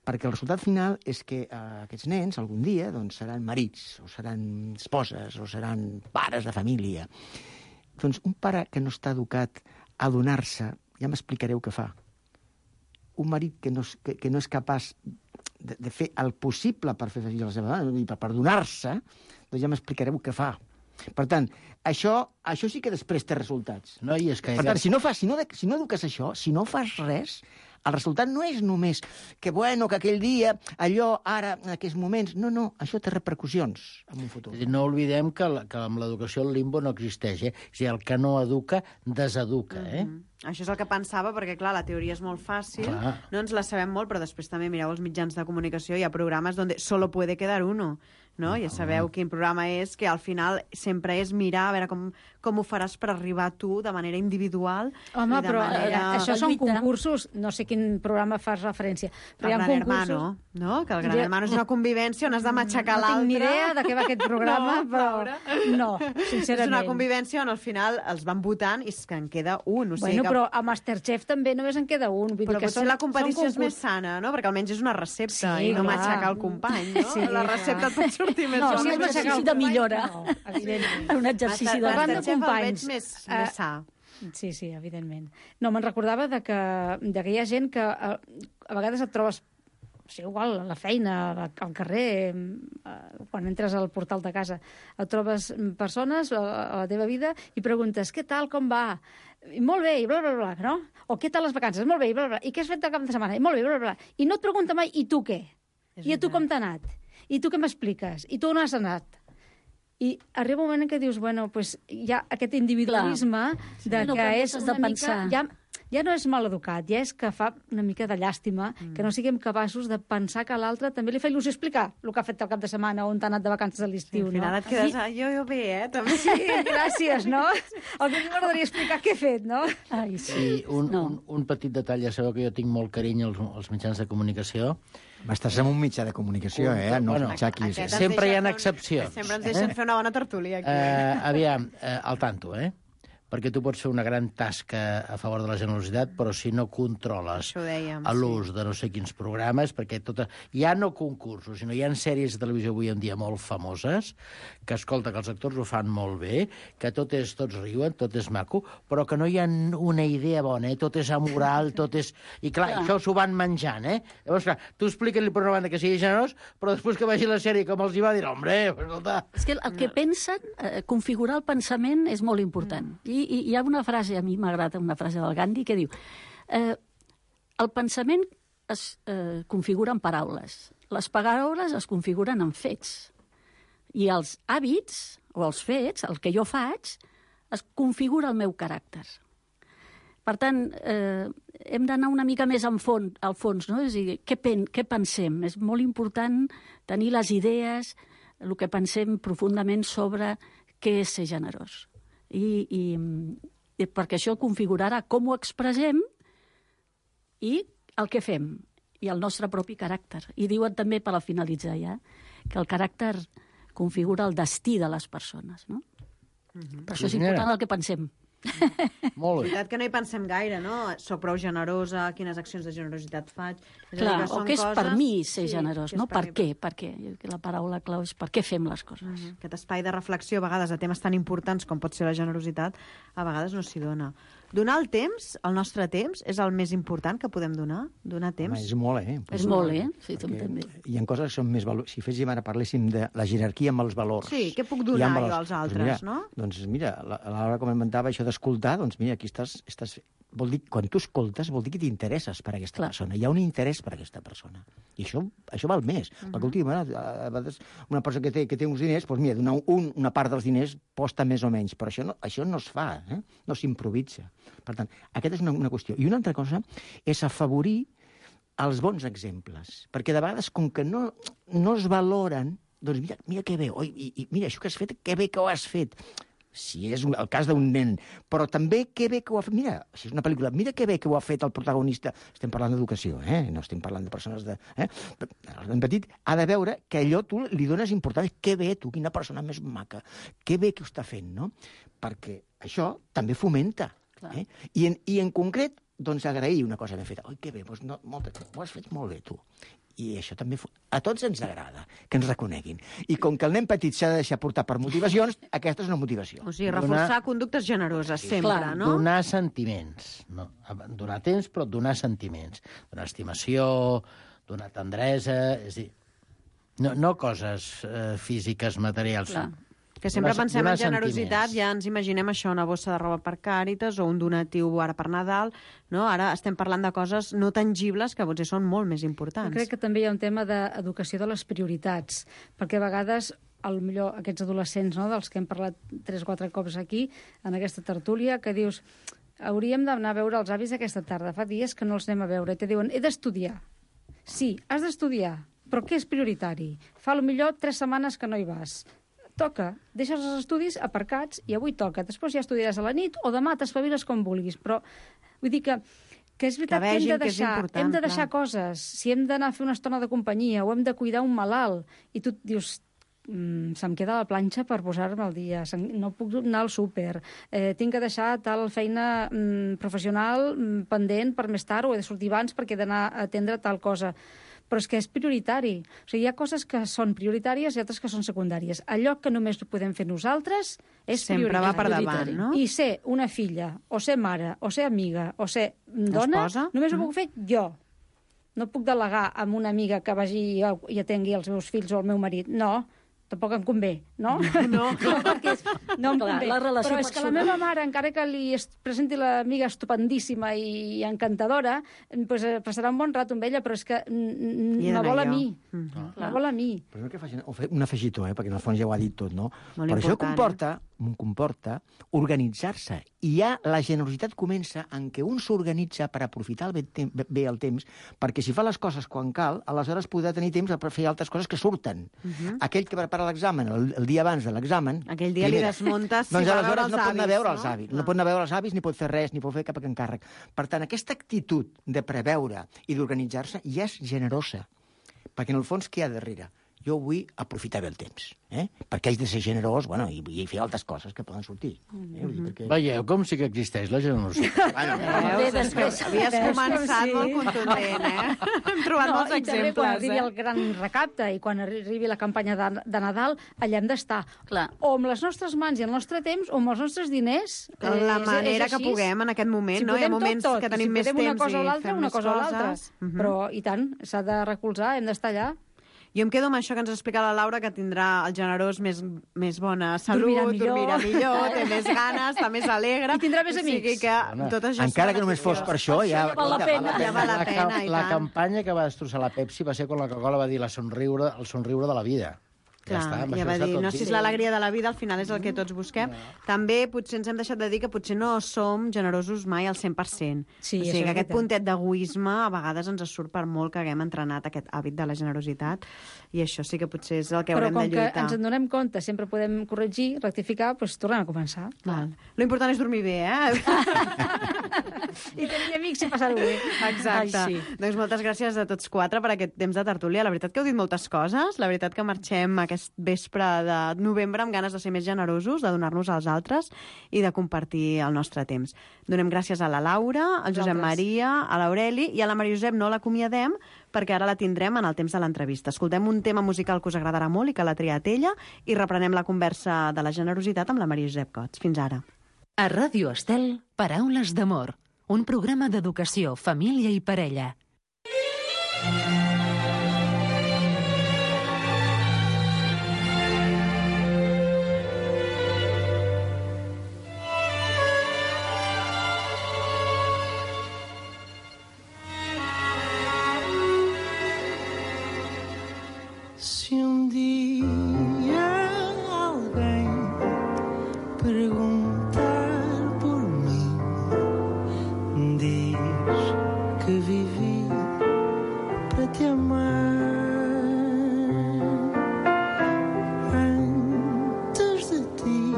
S9: Perquè el resultat final és que aquests nens algun dia doncs, seran marits, o seran esposes, o seran pares de família. Doncs un pare que no està educat a donar-se, ja m'explicareu què fa. Un marit que no és capaç de fer el possible per fer feliç a la seva dona, i per donar-se, doncs ja m'explicareu què fa. Per tant, això sí que després té resultats.
S7: No, i és que...
S9: Per tant, si no eduques això, si no fas res, el resultat no és només que aquell dia, allò, ara, en aquests moments... No, això té repercussions en un futur.
S7: No oblidem que amb l'educació el limbo no existeix, O sigui, el que no educa, deseduca,
S5: Això és el que pensava, perquè, clar, la teoria és molt fàcil, no ens la sabem molt, però després també mireu els mitjans de comunicació, hi ha programes on solo puede quedar uno, no? Ja sabeu quin programa és, que al final sempre és mirar a veure com ho faràs per arribar a tu de manera individual.
S10: Home, però això són concursos, no sé quin programa fas referència, però hi ha concursos...
S5: Hermano, no? Que el Gran Hermano és una convivència on has de matxacar l'altre.
S10: No tinc ni idea de què va aquest programa, però no, sincerament.
S5: És una convivència on al final els van votant i que en queda un.
S10: Però a Masterchef també només en queda un. Vull dir que
S5: potser la competició és més sana, no? Perquè almenys és una recepta i no matxacar el company, no?
S10: Sí,
S5: la recepta pot sortir més
S8: és un exercici de millora.
S10: No, evidentment.
S8: Un exercici de
S10: Masterchef
S5: el veig més sa.
S10: Sí, evidentment. No, me'n recordava de que hi ha gent que a vegades et trobes, igual a la feina, al carrer, quan entres al portal de casa, et trobes persones a la teva vida i preguntes, què tal, com va? I molt bé, i bla, bla, bla, no? O què tal les vacances? Molt bé, i bla, bla, i què has fet el cap de setmana? I molt bé, bla, bla, bla. I no et pregunta mai, i tu què? I a tu com t'ha anat? I tu què m'expliques? I tu on has anat? I arriba un moment en què dius, bueno, pues hi ha aquest individualisme de que és una mica... Ja no és mal educat, ja és que fa una mica de llàstima que no siguem capaços de pensar que a l'altre també li fa il·lusió explicar el que ha fet el cap de setmana on t'ha anat de vacances a l'estiu.
S5: Al final et quedes, jo bé, també.
S10: Sí, gràcies, no? El que m'agradaria explicar què he fet, no?
S8: Ai,
S7: sí, un petit detall, ja sabeu que jo tinc molt carinyo als mitjans de comunicació.
S9: Estàs en un mitjà de comunicació, no un mitjà aquí.
S7: Sempre hi ha excepcions.
S5: Sempre ens deixen fer una bona tertúlia aquí.
S7: Aviam, al tanto, perquè tu pots fer una gran tasca a favor de la generositat, però si no controles l'ús de no sé quins programes, perquè ja no concursos, sinó hi ha sèries de televisió avui en dia molt famoses, que escolta, que els actors ho fan molt bé, que tots riuen, tot és maco, però que no hi ha una idea bona, tot és amoral, tot és... I clar, això s'ho van menjant, Llavors, clar, tu explica-li per una banda que sigui generós, però després que vegi la sèrie com els hi va dir, hombre, escolta...
S8: És que el que pensen, configurar el pensament és molt important. I hi ha una frase, a mi m'agrada una frase del Gandhi, que diu el pensament es configura en paraules, les paraules es configuren en fets, i els hàbits, o els fets, el que jo faig, es configura el meu caràcter. Per tant, hem d'anar una mica més al fons, no? És a dir, què pensem? És molt important tenir les idees, el que pensem profundament sobre què és ser generós. I perquè això configurarà com ho expressem i el que fem, i el nostre propi caràcter. I diuen també, per finalitzar ja, que el caràcter configura el destí de les persones, no? Per això és important el que pensem.
S7: Molt bé.
S5: És veritat que no hi pensem gaire, no? Soc prou generosa, quines accions de generositat faig...
S8: Clar, o què és per mi ser generós, no? Per què? Per què? La paraula clau és per què fem les coses.
S5: Aquest espai de reflexió, a vegades, de temes tan importants com pot ser la generositat, a vegades no s'hi dona. Donar el temps, el nostre temps, és el més important que podem donar? Donar temps?
S9: Home, és molt,
S8: És molt, Sí, també.
S9: Hi ha coses que són més valors. Si ara parléssim de la jerarquia amb els valors.
S5: Sí, què puc donar jo als altres, no?
S9: Doncs mira, a l'hora que comentava això d'escoltar, doncs mira, aquí estàs... Vol dir, quan tu escoltes, vol dir que t'interesses per aquesta persona. Hi ha un interès per aquesta persona. I això val més. Perquè últimament, a vegades, una persona que té uns diners, doncs mira, donar una part dels diners posta més o menys, però això no es fa, no s'improvisa. Per tant, aquesta és una qüestió. I una altra cosa és afavorir els bons exemples. Perquè de vegades, com que no es valoren, doncs mira que bé, mira, això que has fet, que bé que ho has fet. Si és el cas d'un nen, però també que bé que ho ha fet... Mira, si és una pel·lícula, mira que bé que ho ha fet el protagonista. Estem parlant d'educació, no estem parlant de persones de... El nen petit ha de veure que allò tu li dones importància. Que bé, tu, quina persona més maca. Que bé que ho està fent, no? Perquè això també fomenta. I en concret, doncs agrair una cosa ben feta. Oi, que bé, doncs ho has fet molt bé, tu. I això també a tots ens agrada, que ens reconeguin. I com que el nen petit s'ha de deixar portar per motivacions, aquesta és una motivació.
S5: O sigui, reforçar conductes generoses, sempre, no?
S7: Donar sentiments. No? Donar temps, però donar sentiments. Donar estimació, donar tendresa... És a dir, no coses físiques, materials.
S5: Clar. Que sempre pensem en generositat, ja ens imaginem això, una bossa de roba per Càritas o un donatiu ara per Nadal, no? Ara estem parlant de coses no tangibles que potser són molt més importants.
S10: Jo crec que també hi ha un tema d'educació de les prioritats, perquè a vegades, potser aquests adolescents, no?, dels que hem parlat 3 o 4 cops aquí, en aquesta tertúlia, que dius, hauríem d'anar a veure els avis aquesta tarda, fa dies que no els anem a veure, i te diuen, he d'estudiar. Sí, has d'estudiar, però què és prioritari? Fa potser 3 setmanes que no hi vas. Toca, deixes els estudis aparcats i avui toca. Després ja estudiaràs a la nit o demà t'espaviles com vulguis. Però vull dir que és veritat que hem de deixar coses. Si hem d'anar a fer una estona de companyia o hem de cuidar un malalt i tu dius, se'm queda la planxa per posar-me al dia, no puc anar al súper, tinc que deixar tal feina professional pendent per més tard o he de sortir abans perquè he d'anar a atendre tal cosa. però és que és prioritari. O sigui, hi ha coses que són prioritàries i altres que són secundàries. Allò que només podem fer nosaltres és
S5: Sempre
S10: prioritari.
S5: va per davant, no?
S10: I ser una filla, o ser mare, o ser amiga, o ser dona,
S5: Esposa?
S10: només ho puc fer jo. No puc delegar amb una amiga que vagi i atengui els meus fills o el meu marit. No, tampoc em convé, no? No, perquè no em convé.
S8: La relació
S10: Però és que la meva mare, encara que li presenti l'amiga estupendíssima i encantadora, pues, passarà un bon rato amb ella, però és que me vol a mi. Me vol a mi.
S9: Però no que facin un afegitó, perquè en el fons ja ho ha dit tot, no?
S5: Molt
S9: Però això
S5: important,
S9: comporta organitzar-se. I ja la generositat comença en què un s'organitza per aprofitar bé el temps, perquè si fa les coses quan cal, aleshores podrà tenir temps per fer altres coses que surten. Aquell que prepara l'examen el dia abans de l'examen...
S5: Aquell dia li desmuntes si
S9: doncs
S5: va veure
S9: aleshores
S5: els
S9: no pot anar a
S5: avis,
S9: veure
S5: no?
S9: els avis. No pot anar a veure els avis, ni pot fer res, ni pot fer cap encàrrec. Per tant, aquesta actitud de preveure i d'organitzar-se ja és generosa. Perquè en el fons què hi ha darrere? Jo vull aprofitar bé el temps, perquè haig de ser generós, bueno, i fer altres coses que poden sortir.
S7: Veieu com sí que existeix la generositat.
S5: Veus? Havies començat molt contundent, Hem trobat molts
S10: i també quan
S5: exemples,
S10: arribi el gran recapte i quan arribi la campanya de Nadal, allà hem d'estar.
S8: Clar.
S10: O amb les nostres mans i el nostre temps, o amb els nostres diners.
S5: La manera
S10: és
S5: que
S10: així.
S5: puguem en aquest moment,
S10: Si
S5: no? Hi ha
S10: podem
S5: moments
S10: tot,
S5: que tenim
S10: si
S5: més
S10: podem
S5: temps
S10: una cosa o
S5: i
S10: l'altra,
S5: fem
S10: una
S5: més
S10: cosa o l'altra.
S5: coses.
S10: Però, i tant, s'ha de recolzar, hem d'estar allà.
S5: Jo em quedo amb això que ens explica la Laura, que tindrà el generós més bona salut, dormirà millor, té més ganes, està més alegre.
S10: I tindrà més
S5: O sigui
S10: amics.
S5: que tot això
S9: Encara
S5: serà
S9: que només fos per això, ja...
S8: val la pena.
S5: Ja val la pena, i
S7: La
S5: tant.
S7: campanya que va destrossar la Pepsi va ser quan la Coca-Cola va dir el somriure de la vida.
S5: Clar,
S7: està, amb
S5: ja
S7: això
S5: va
S7: està
S5: dir,
S7: tot
S5: no,
S7: dit.
S5: si és l'alegria de la vida, al final és el que tots busquem. També potser ens hem deixat de dir que potser no som generosos mai al 100%.
S10: Sí,
S5: o
S10: això
S5: sigui
S10: és
S5: que aquest
S10: veritat.
S5: puntet d'egoisme a vegades ens surt per molt que haguem entrenat aquest hàbit de la generositat, i això sí que potser és el que
S10: Però
S5: haurem
S10: com
S5: de
S10: que
S5: lluitar.
S10: ens en donem compte, sempre podem corregir, rectificar, doncs tornem a començar.
S5: Lo important és dormir bé,
S10: I tenir amics i passar-ho bé.
S5: Exacte.
S8: Ai, sí.
S5: Doncs moltes gràcies a tots quatre per aquest temps de tertúlia. La veritat que heu dit moltes coses. La veritat que marxem aquest vespre de novembre amb ganes de ser més generosos, de donar-nos als altres i de compartir el nostre temps. Donem gràcies a la Laura, al Josep Maria, a l'Aureli i a la Maria Josep no l'acomiadem perquè ara la tindrem en el temps de l'entrevista. Escoltem un tema musical que us agradarà molt i que l'ha triat ella i reprenem la conversa de la generositat amb la Maria Josep Cots. Fins ara.
S3: A Ràdio Estel, Paraules d'amor, un programa d'educació, família i parella.
S6: Se um dia alguém perguntar por mim, diz que vivi para te amar. Antes de ti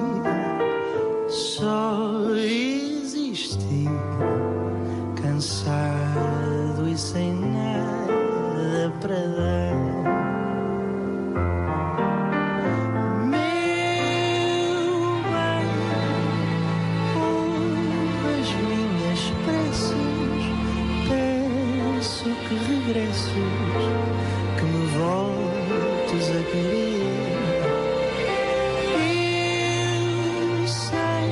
S6: só existi, cansado e sem nada para dar. Que me voltes a querer. Eu sei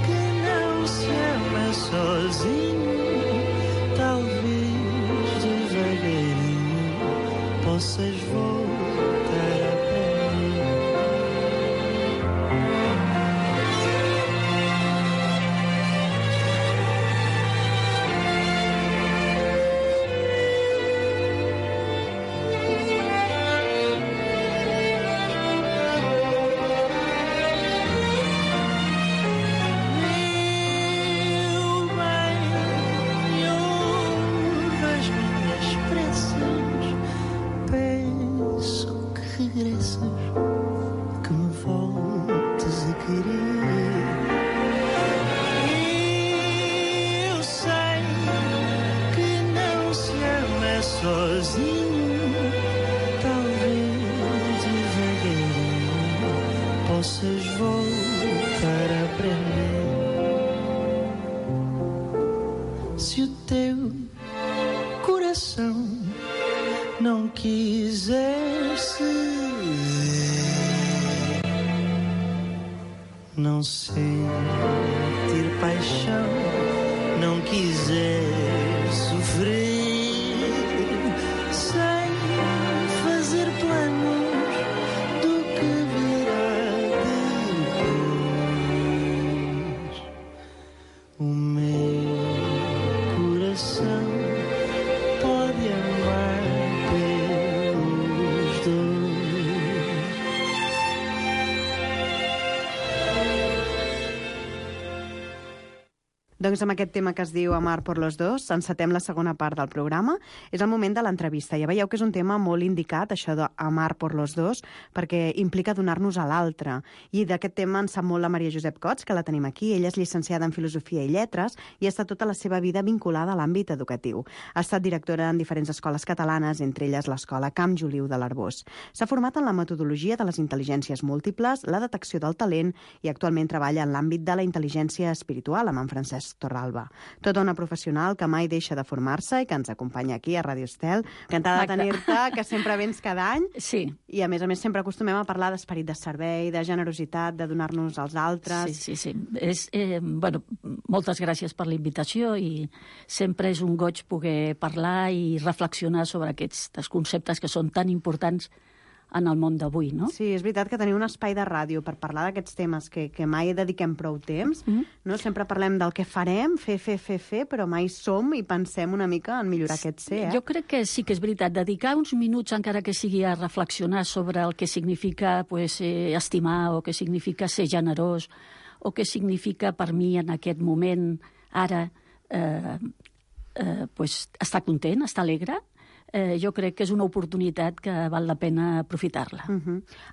S6: que não se ama sozinho. Talvez devagarinho possas voltar a aprender. Sozinho, talvez devagarinho possas voltar a aprender. Se o teu coração não quiser ceder, não sentir paixão, não quiser sofrer, sem fazer planos do que virá depois. O meu coração pode amar pelos dois.
S5: Doncs amb aquest tema que es diu Amar por los dos, encetem la segona part del programa. És el moment de l'entrevista. Ja veieu que és un tema molt indicat, això d'amar por los dos, perquè implica donar-nos a l'altre. I d'aquest tema en sap molt la Maria Josep Cots, que la tenim aquí. Ella és llicenciada en Filosofia i Lletres i ha estat tota la seva vida vinculada a l'àmbit educatiu. Ha estat directora en diferents escoles catalanes, entre elles l'Escola Camp Juliu de l'Arboç. S'ha format en la metodologia de les intel·ligències múltiples, la detecció del talent i actualment treballa en l'àmbit de la intel·ligència espiritual amb en Francesc Torralba. Tota una professional que mai deixa de formar-se i que ens acompanya aquí a Ràdio Estel. Encantada de tenir-te, que sempre vens cada any.
S8: Sí.
S5: I a més sempre acostumem a parlar d'esperit de servei, de generositat, de donar-nos als altres.
S8: Sí. Moltes gràcies per la invitació i sempre és un goig poder parlar i reflexionar sobre aquests conceptes que són tan importants en el món d'avui, no?
S5: Sí, és veritat que tenir un espai de ràdio per parlar d'aquests temes que mai dediquem prou temps, no? Sempre parlem del que farem, fer, però mai som i pensem una mica en millorar aquest ser,
S8: Jo crec que sí que és veritat. Dedicar uns minuts, encara que sigui a reflexionar sobre el que significa estimar o què significa ser generós o què significa per mi en aquest moment, ara, estar content, estar alegre, jo crec que és una oportunitat que val la pena aprofitar-la.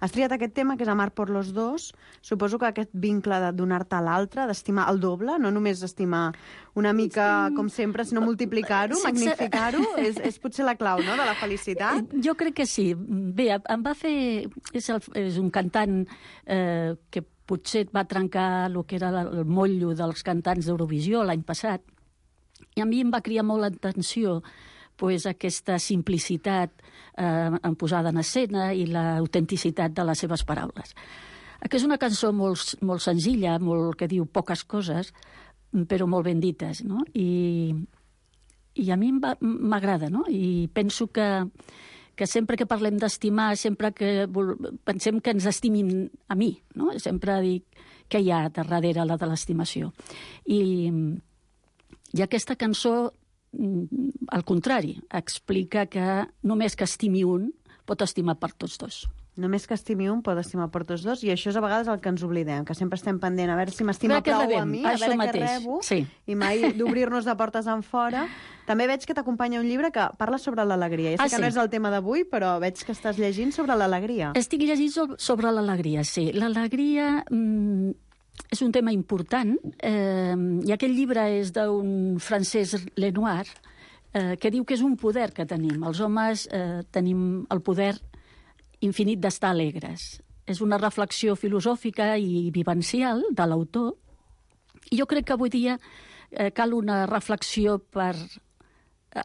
S5: Has triat aquest tema, que és Amar por los dos. Suposo que aquest vincle de donar-te a l'altre, d'estimar el doble, no només estimar una mica com sempre, sinó multiplicar-ho, magnificar-ho, és potser la clau, no?, de la felicitat.
S8: Jo crec que sí. Bé, em va fer... És un cantant que potser va trencar el que era el motllo dels cantants d'Eurovisió l'any passat, i a mi em va cridar molt l'atenció aquesta simplicitat en posada en escena i l'autenticitat de les seves paraules. Que és una cançó molt senzilla, que diu poques coses, però molt ben dites, no? I a mi m'agrada, no? I penso que sempre que parlem d'estimar, sempre que pensem que ens estimin a mi, no? Sempre dic què hi ha darrere de l'estimació. I aquesta cançó, al contrari, explica que només que estimi un pot estimar per tots dos.
S5: Només que estimi un pot estimar per tots dos, i això és a vegades el que ens oblidem, que sempre estem pendent a veure si m'estima prou a mi, a veure què rebo, i mai d'obrir-nos de portes en fora. També veig que t'acompanya un llibre que parla sobre l'alegria. Ja sé que no és el tema d'avui, però veig que estàs llegint sobre l'alegria.
S8: Estic llegint sobre l'alegria, sí. L'alegria és un tema important, i aquest llibre és d'un francès Lenoir, que diu que és un poder que tenim. Els homes tenim el poder infinit d'estar alegres. És una reflexió filosòfica i vivencial de l'autor, i jo crec que avui dia cal una reflexió per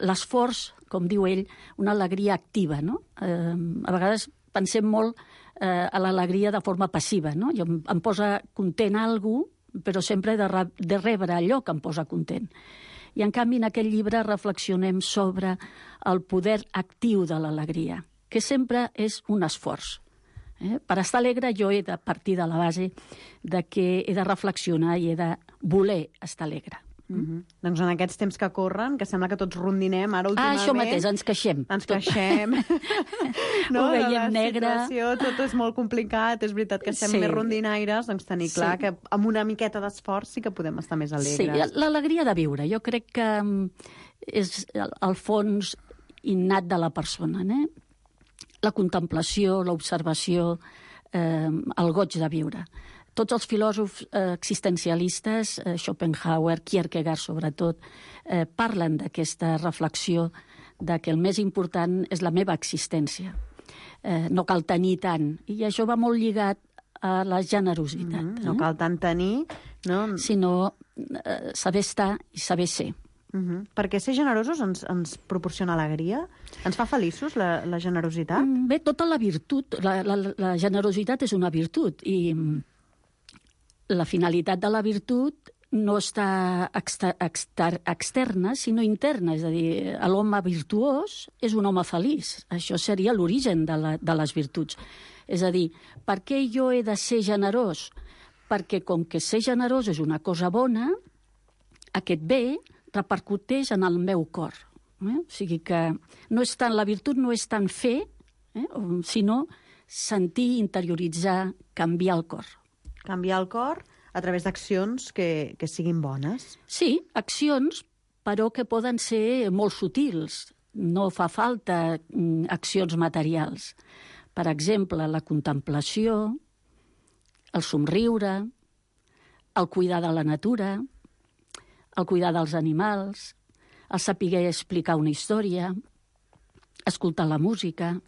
S8: l'esforç, com diu ell, una alegria activa, no? A vegades pensem molt a l'alegria de forma passiva, no? Em posa content algú, però sempre he de rebre allò que em posa content. I, en canvi, en aquest llibre reflexionem sobre el poder actiu de l'alegria, que sempre és un esforç. Per estar alegre jo he de partir de la base de que he de reflexionar i he de voler estar alegre.
S5: Doncs en aquests temps que corren, que sembla que tots rondinem ara últimament...
S8: Això mateix, ens queixem.
S5: Ens queixem.
S8: Ho veiem negre.
S5: Tot és molt complicat, és veritat que estem més rondinaires, doncs tenir clar que amb una miqueta d'esforç sí que podem estar més alegres.
S8: Sí, l'alegria de viure. Jo crec que és el fons innat de la persona, la contemplació, l'observació, el goig de viure. Tots els filòsofs existencialistes, Schopenhauer, Kierkegaard sobretot, parlen d'aquesta reflexió de que el més important és la meva existència. No cal tenir tant. I això va molt lligat a la generositat.
S5: No cal tant tenir, no?
S8: Sinó saber estar i saber ser.
S5: Perquè ser generosos ens proporciona alegria? Ens fa feliços, la generositat?
S8: Bé, tota la virtut, la generositat és una virtut, i la finalitat de la virtut no està externa, sinó interna. És a dir, l'home virtuós és un home feliç. Això seria l'origen de les virtuts. És a dir, per què jo he de ser generós? Perquè com que ser generós és una cosa bona, aquest bé repercuteix en el meu cor. O sigui que la virtut no és tant fer, sinó sentir, interioritzar, canviar el cor.
S5: Canviar el cor a través d'accions que siguin bones.
S8: Sí, accions, però que poden ser molt sutils. No fa falta accions materials. Per exemple, la contemplació, el somriure, el cuidar de la natura, el cuidar dels animals, el saber explicar una història, escoltar la música,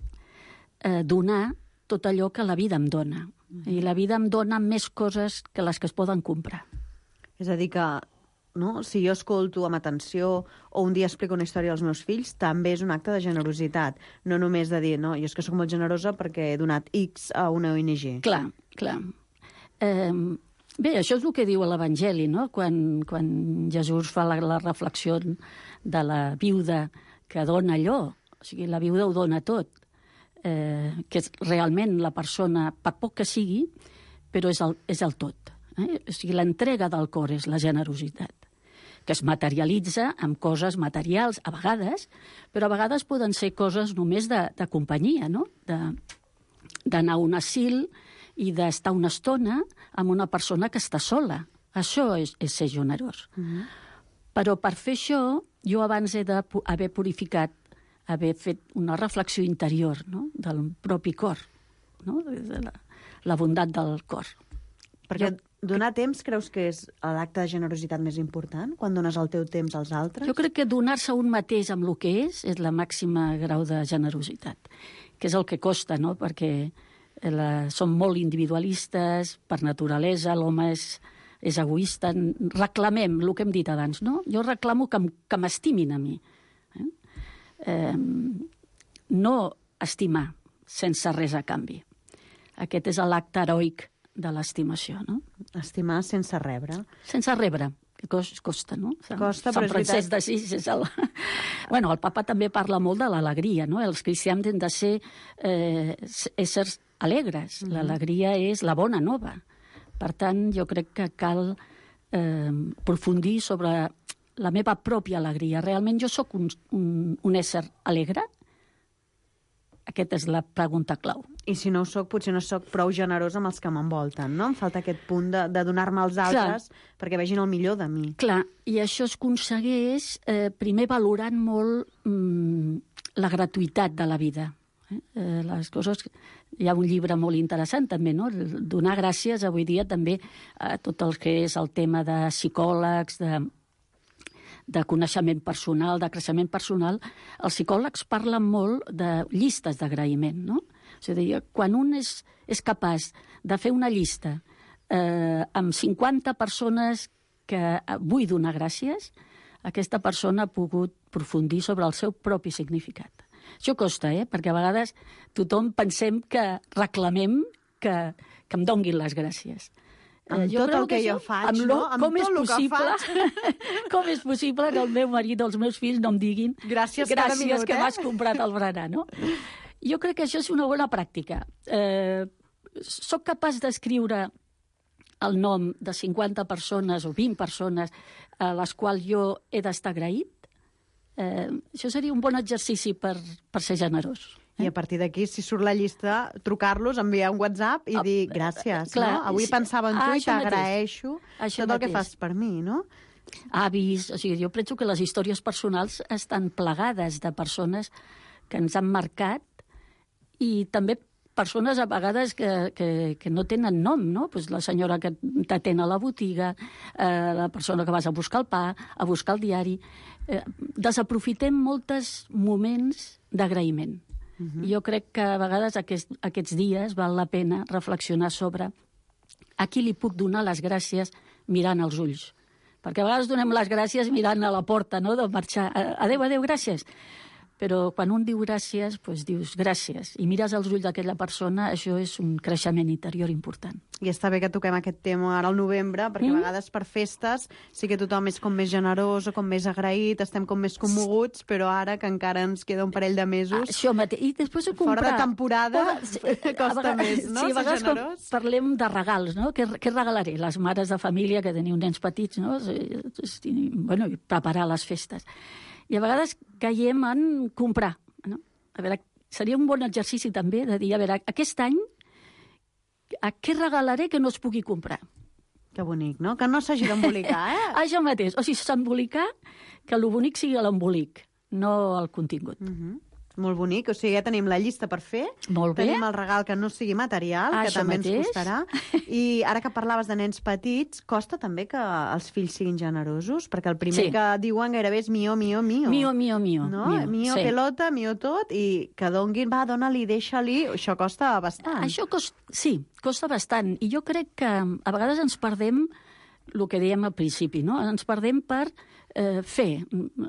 S8: donar tot allò que la vida em dona. I la vida em dona més coses que les que es poden comprar.
S5: És a dir que, no, si jo escolto amb atenció o un dia explico una història als meus fills, també és un acte de generositat. No només de dir, no, jo és que sóc molt generosa perquè he donat X a una ONG.
S8: Clar. Bé, això és el que diu l'Evangeli, no? Quan Jesús fa la reflexió de la viuda que dona allò. O sigui, la viuda ho dona tot. Que és realment la persona, per poc que sigui, però és el tot. O sigui, l'entrega del cor és la generositat, que es materialitza amb coses materials, a vegades, però a vegades poden ser coses només de companyia, no? D'anar a un asil i d'estar una estona amb una persona que està sola. Això és ser generós. Però per fer això, jo abans he d'haver purificat, haver fet una reflexió interior, no? Del propi cor, no? De la bondat del cor.
S5: Perquè donar temps creus que és l'acte de generositat més important, quan dones el teu temps als altres?
S8: Jo crec que donar-se un mateix amb el que és la màxima grau de generositat, que és el que costa, no? Perquè som molt individualistes, per naturalesa, l'home és egoista. Reclamem el que hem dit abans, no? Jo reclamo que m'estimin a mi. No estimar sense res a canvi. Aquest és l'acte heroic de l'estimació, no?
S5: Estimar sense rebre.
S8: Sense rebre, que costa, no?
S5: Costa,
S8: Sant Francesc d'Assís és el... Bueno, el papa també parla molt de l'alegria, no? Els cristians han de ser éssers alegres. L'alegria és la bona nova. Per tant, jo crec que cal aprofundir sobre la meva pròpia alegria. Realment jo sóc un ésser alegre? Aquesta és la pregunta clau.
S5: I si no ho soc, potser no soc prou generosa amb els que m'envolten, no? Em falta aquest punt de donar-me als altres perquè vegin el millor de mi.
S8: Clar, i això es aconsegueix primer valorant molt la gratuïtat de la vida. Les coses... Hi ha un llibre molt interessant també, no? Donar gràcies avui dia també a tot el que és el tema de psicòlegs, de coneixement personal, de creixement personal. Els psicòlegs parlen molt de llistes d'agraïment, no? És a dir, quan un és capaç de fer una llista amb 50 persones que vull donar gràcies, aquesta persona ha pogut aprofundir sobre el seu propi significat. Això costa, perquè a vegades tothom pensem que reclamem que em donguin les gràcies.
S5: Amb tot el que jo faig, no? Amb tot el que faig.
S8: Com és possible que el meu marit o els meus fills no em diguin
S5: gràcies cada minut,
S8: que m'has comprat el berenar, no? Jo crec que això és una bona pràctica. Soc capaç d'escriure el nom de 50 persones o 20 persones a les quals jo he d'estar agraït. Això seria un bon exercici per ser generós.
S5: I a partir d'aquí, si surt la llista, trucar-los, enviar un WhatsApp i dir gràcies,
S8: clar,
S5: no? Avui pensava en tu i t'agraeixo tot el que fas per mi, no?
S8: Avis, o sigui, jo penso que les històries personals estan plegades de persones que ens han marcat i també persones a vegades que no tenen nom, no? Pues la senyora que t'atén a la botiga, la persona que vas a buscar el pa, a buscar el diari. Desaprofitem molts moments d'agraïment. Jo crec que a vegades aquests dies val la pena reflexionar sobre a qui li puc donar les gràcies mirant als ulls. Perquè a vegades donem les gràcies mirant a la porta, no?, de marxar. Adéu, adéu, gràcies. Però quan un diu gràcies, doncs dius gràcies. I mires als ulls d'aquella persona, això és un creixement interior important.
S5: I està bé que toquem aquest tema ara al novembre, perquè a vegades per festes sí que tothom és com més generós o com més agraït, estem com més commoguts, però ara que encara ens queda un parell de mesos...
S8: Això mateix. I després comprar...
S5: Fora de temporada costa més, no?
S8: Sí, a vegades parlem de regals, no? Què regalaré? Les mares de família que teniu nens petits, no? Bueno, preparar les festes. I a vegades caiem en comprar, no? A veure, seria un bon exercici també de dir, a veure, aquest any a què regalaré que no es pugui comprar?
S5: Que bonic, no? Que no s'hagi d'embolicar,
S8: Això mateix. O sigui, s'embolicar, que el bonic sigui l'embolic, no el contingut.
S5: Molt bonic, o sigui, ja tenim la llista per fer.
S8: Molt bé.
S5: Tenim el regal que no sigui material, que també ens costarà. I ara que parlaves de nens petits, costa també que els fills siguin generosos? Perquè el primer que diuen gairebé és mio, mio, mio.
S8: Mio, mio, mio.
S5: No? Mio, pelota, mio tot, i que donguin, va, dona-li, deixa-li, això costa bastant.
S8: Això costa bastant. I jo crec que a vegades ens perdem el que dèiem al principi, no? Ens perdem per fer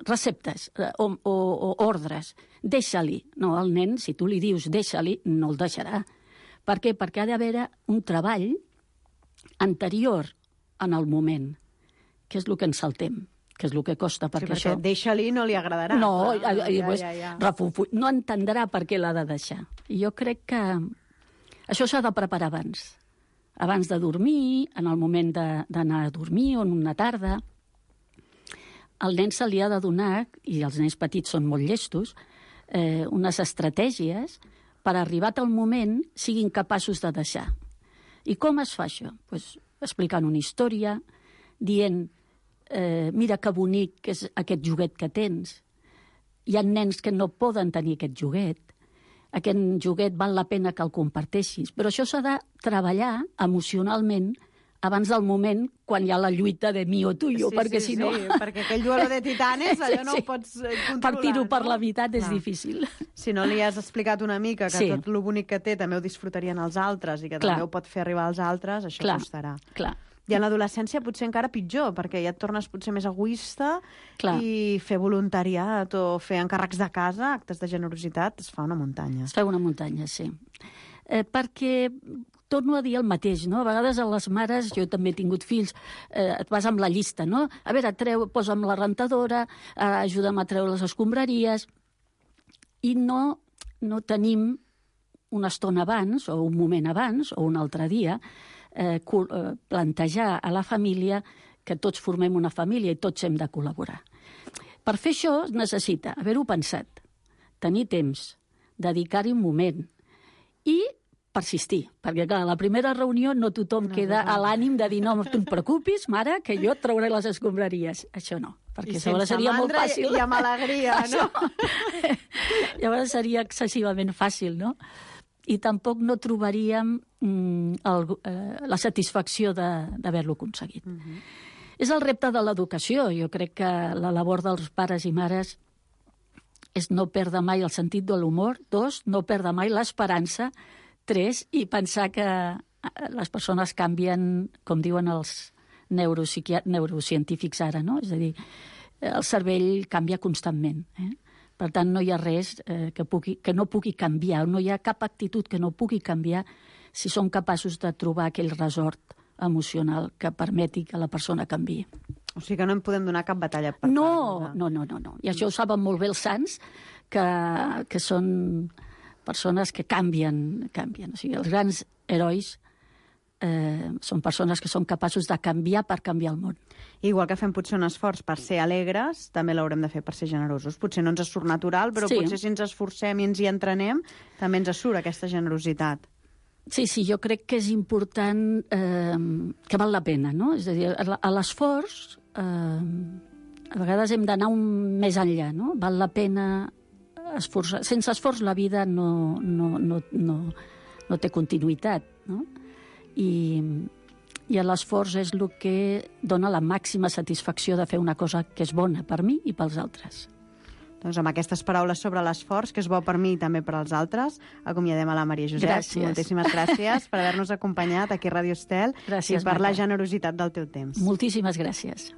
S8: receptes o ordres. Deixa-li. No, el nen, si tu li dius deixa-li, no el deixarà. Per què? Perquè ha d'haver un treball anterior en el moment, que és el que ens saltem, que és el que costa. Perquè
S5: això... deixa-li no li agradarà.
S8: No, no entendrà per què l'ha de deixar. I jo crec que això s'ha de preparar abans. Abans de dormir, en el moment d'anar a dormir o en una tarda. Al nen se li ha de donar, i els nens petits són molt llestos, unes estratègies per arribat al moment siguin capaços de deixar. I com es fa això? Pues, explicant una història, dient mira que bonic que és aquest joguet que tens. Hi ha nens que no poden tenir aquest joguet. Aquest joguet val la pena que el comparteixis. Però això s'ha de treballar emocionalment abans del moment quan hi ha la lluita de mi o tuyo, perquè si no...
S5: Sí, perquè aquell duelo de titanes, allò no ho pots controlar.
S8: Partir-ho per la meitat és difícil.
S5: Si no li has explicat una mica que tot el bonic que té també ho disfrutarien els altres i que també ho pot fer arribar als altres, això costarà.
S8: Clar.
S5: I en l'adolescència potser encara pitjor, perquè ja et tornes potser més egoista i fer voluntariat o fer encàrrecs de casa, actes de generositat, es fa una muntanya.
S8: Es fa una muntanya, sí. Perquè torno a dir el mateix, no? A vegades a les mares, jo també he tingut fills, et vas amb la llista, no? A veure, posa'm la rentadora, ajuda'm a treure les escombraries, i no tenim una estona abans, o un moment abans, o un altre dia, plantejar a la família que tots formem una família i tots hem de col·laborar. Per fer això es necessita haver-ho pensat, tenir temps, dedicar-hi un moment i persistir, perquè clar, a la primera reunió no tothom queda a l'ànim de dir no et preocupis, mare, que jo et trauré les escombraries. Això no, perquè llavors seria molt fàcil.
S5: I amb alegria, no?
S8: Llavors seria excessivament fàcil, no? I tampoc no trobaríem la satisfacció d'haver-lo aconseguit. És el repte de l'educació. Jo crec que la labor dels pares i mares és no perdre mai el sentit de l'humor, 2, no perdre mai l'esperança, 3, i pensar que les persones canvien, com diuen els neurocientífics ara, no? És a dir, el cervell canvia constantment, Per tant, no hi ha res que no pugui canviar, no hi ha cap actitud que no pugui canviar si som capaços de trobar aquell resort emocional que permeti que la persona canviï.
S5: O sigui que no en podem donar cap batalla per part.
S8: No. I això ho saben molt bé els sants, que són persones que canvien. O sigui, els grans herois són persones que són capaços de canviar per canviar el món.
S5: Igual que fem potser un esforç per ser alegres, també l'haurem de fer per ser generosos. Potser no ens surt natural, però potser si ens esforcem i ens hi entrenem, també ens surt aquesta generositat.
S8: Sí, jo crec que és important que val la pena, no? És a dir, a l'esforç a vegades hem d'anar més enllà, no? Val la pena esforçar. Sense esforç la vida no té continuïtat, no? I l'esforç és el que dona la màxima satisfacció de fer una cosa que és bona per mi i pels altres.
S5: Doncs amb aquestes paraules sobre l'esforç, que és bo per mi i també per als altres, acomiadem a la Maria Josep.
S8: Gràcies.
S5: Moltíssimes gràcies per haver-nos acompanyat aquí a Ràdio Estel i per la generositat del teu temps.
S8: Moltíssimes gràcies.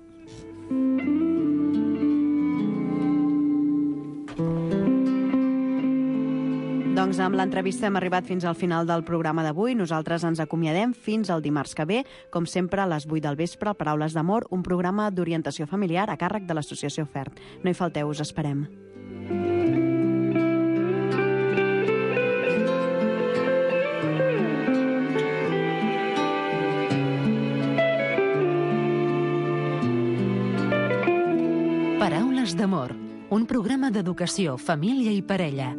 S5: Doncs amb l'entrevista hem arribat fins al final del programa d'avui. Nosaltres ens acomiadem fins al dimarts que ve, com sempre a les 8 del vespre, Paraules d'Amor, un programa d'orientació familiar a càrrec de l'Associació FERT. No hi falteu, us esperem.
S3: Paraules d'Amor, un programa d'educació, família i parella,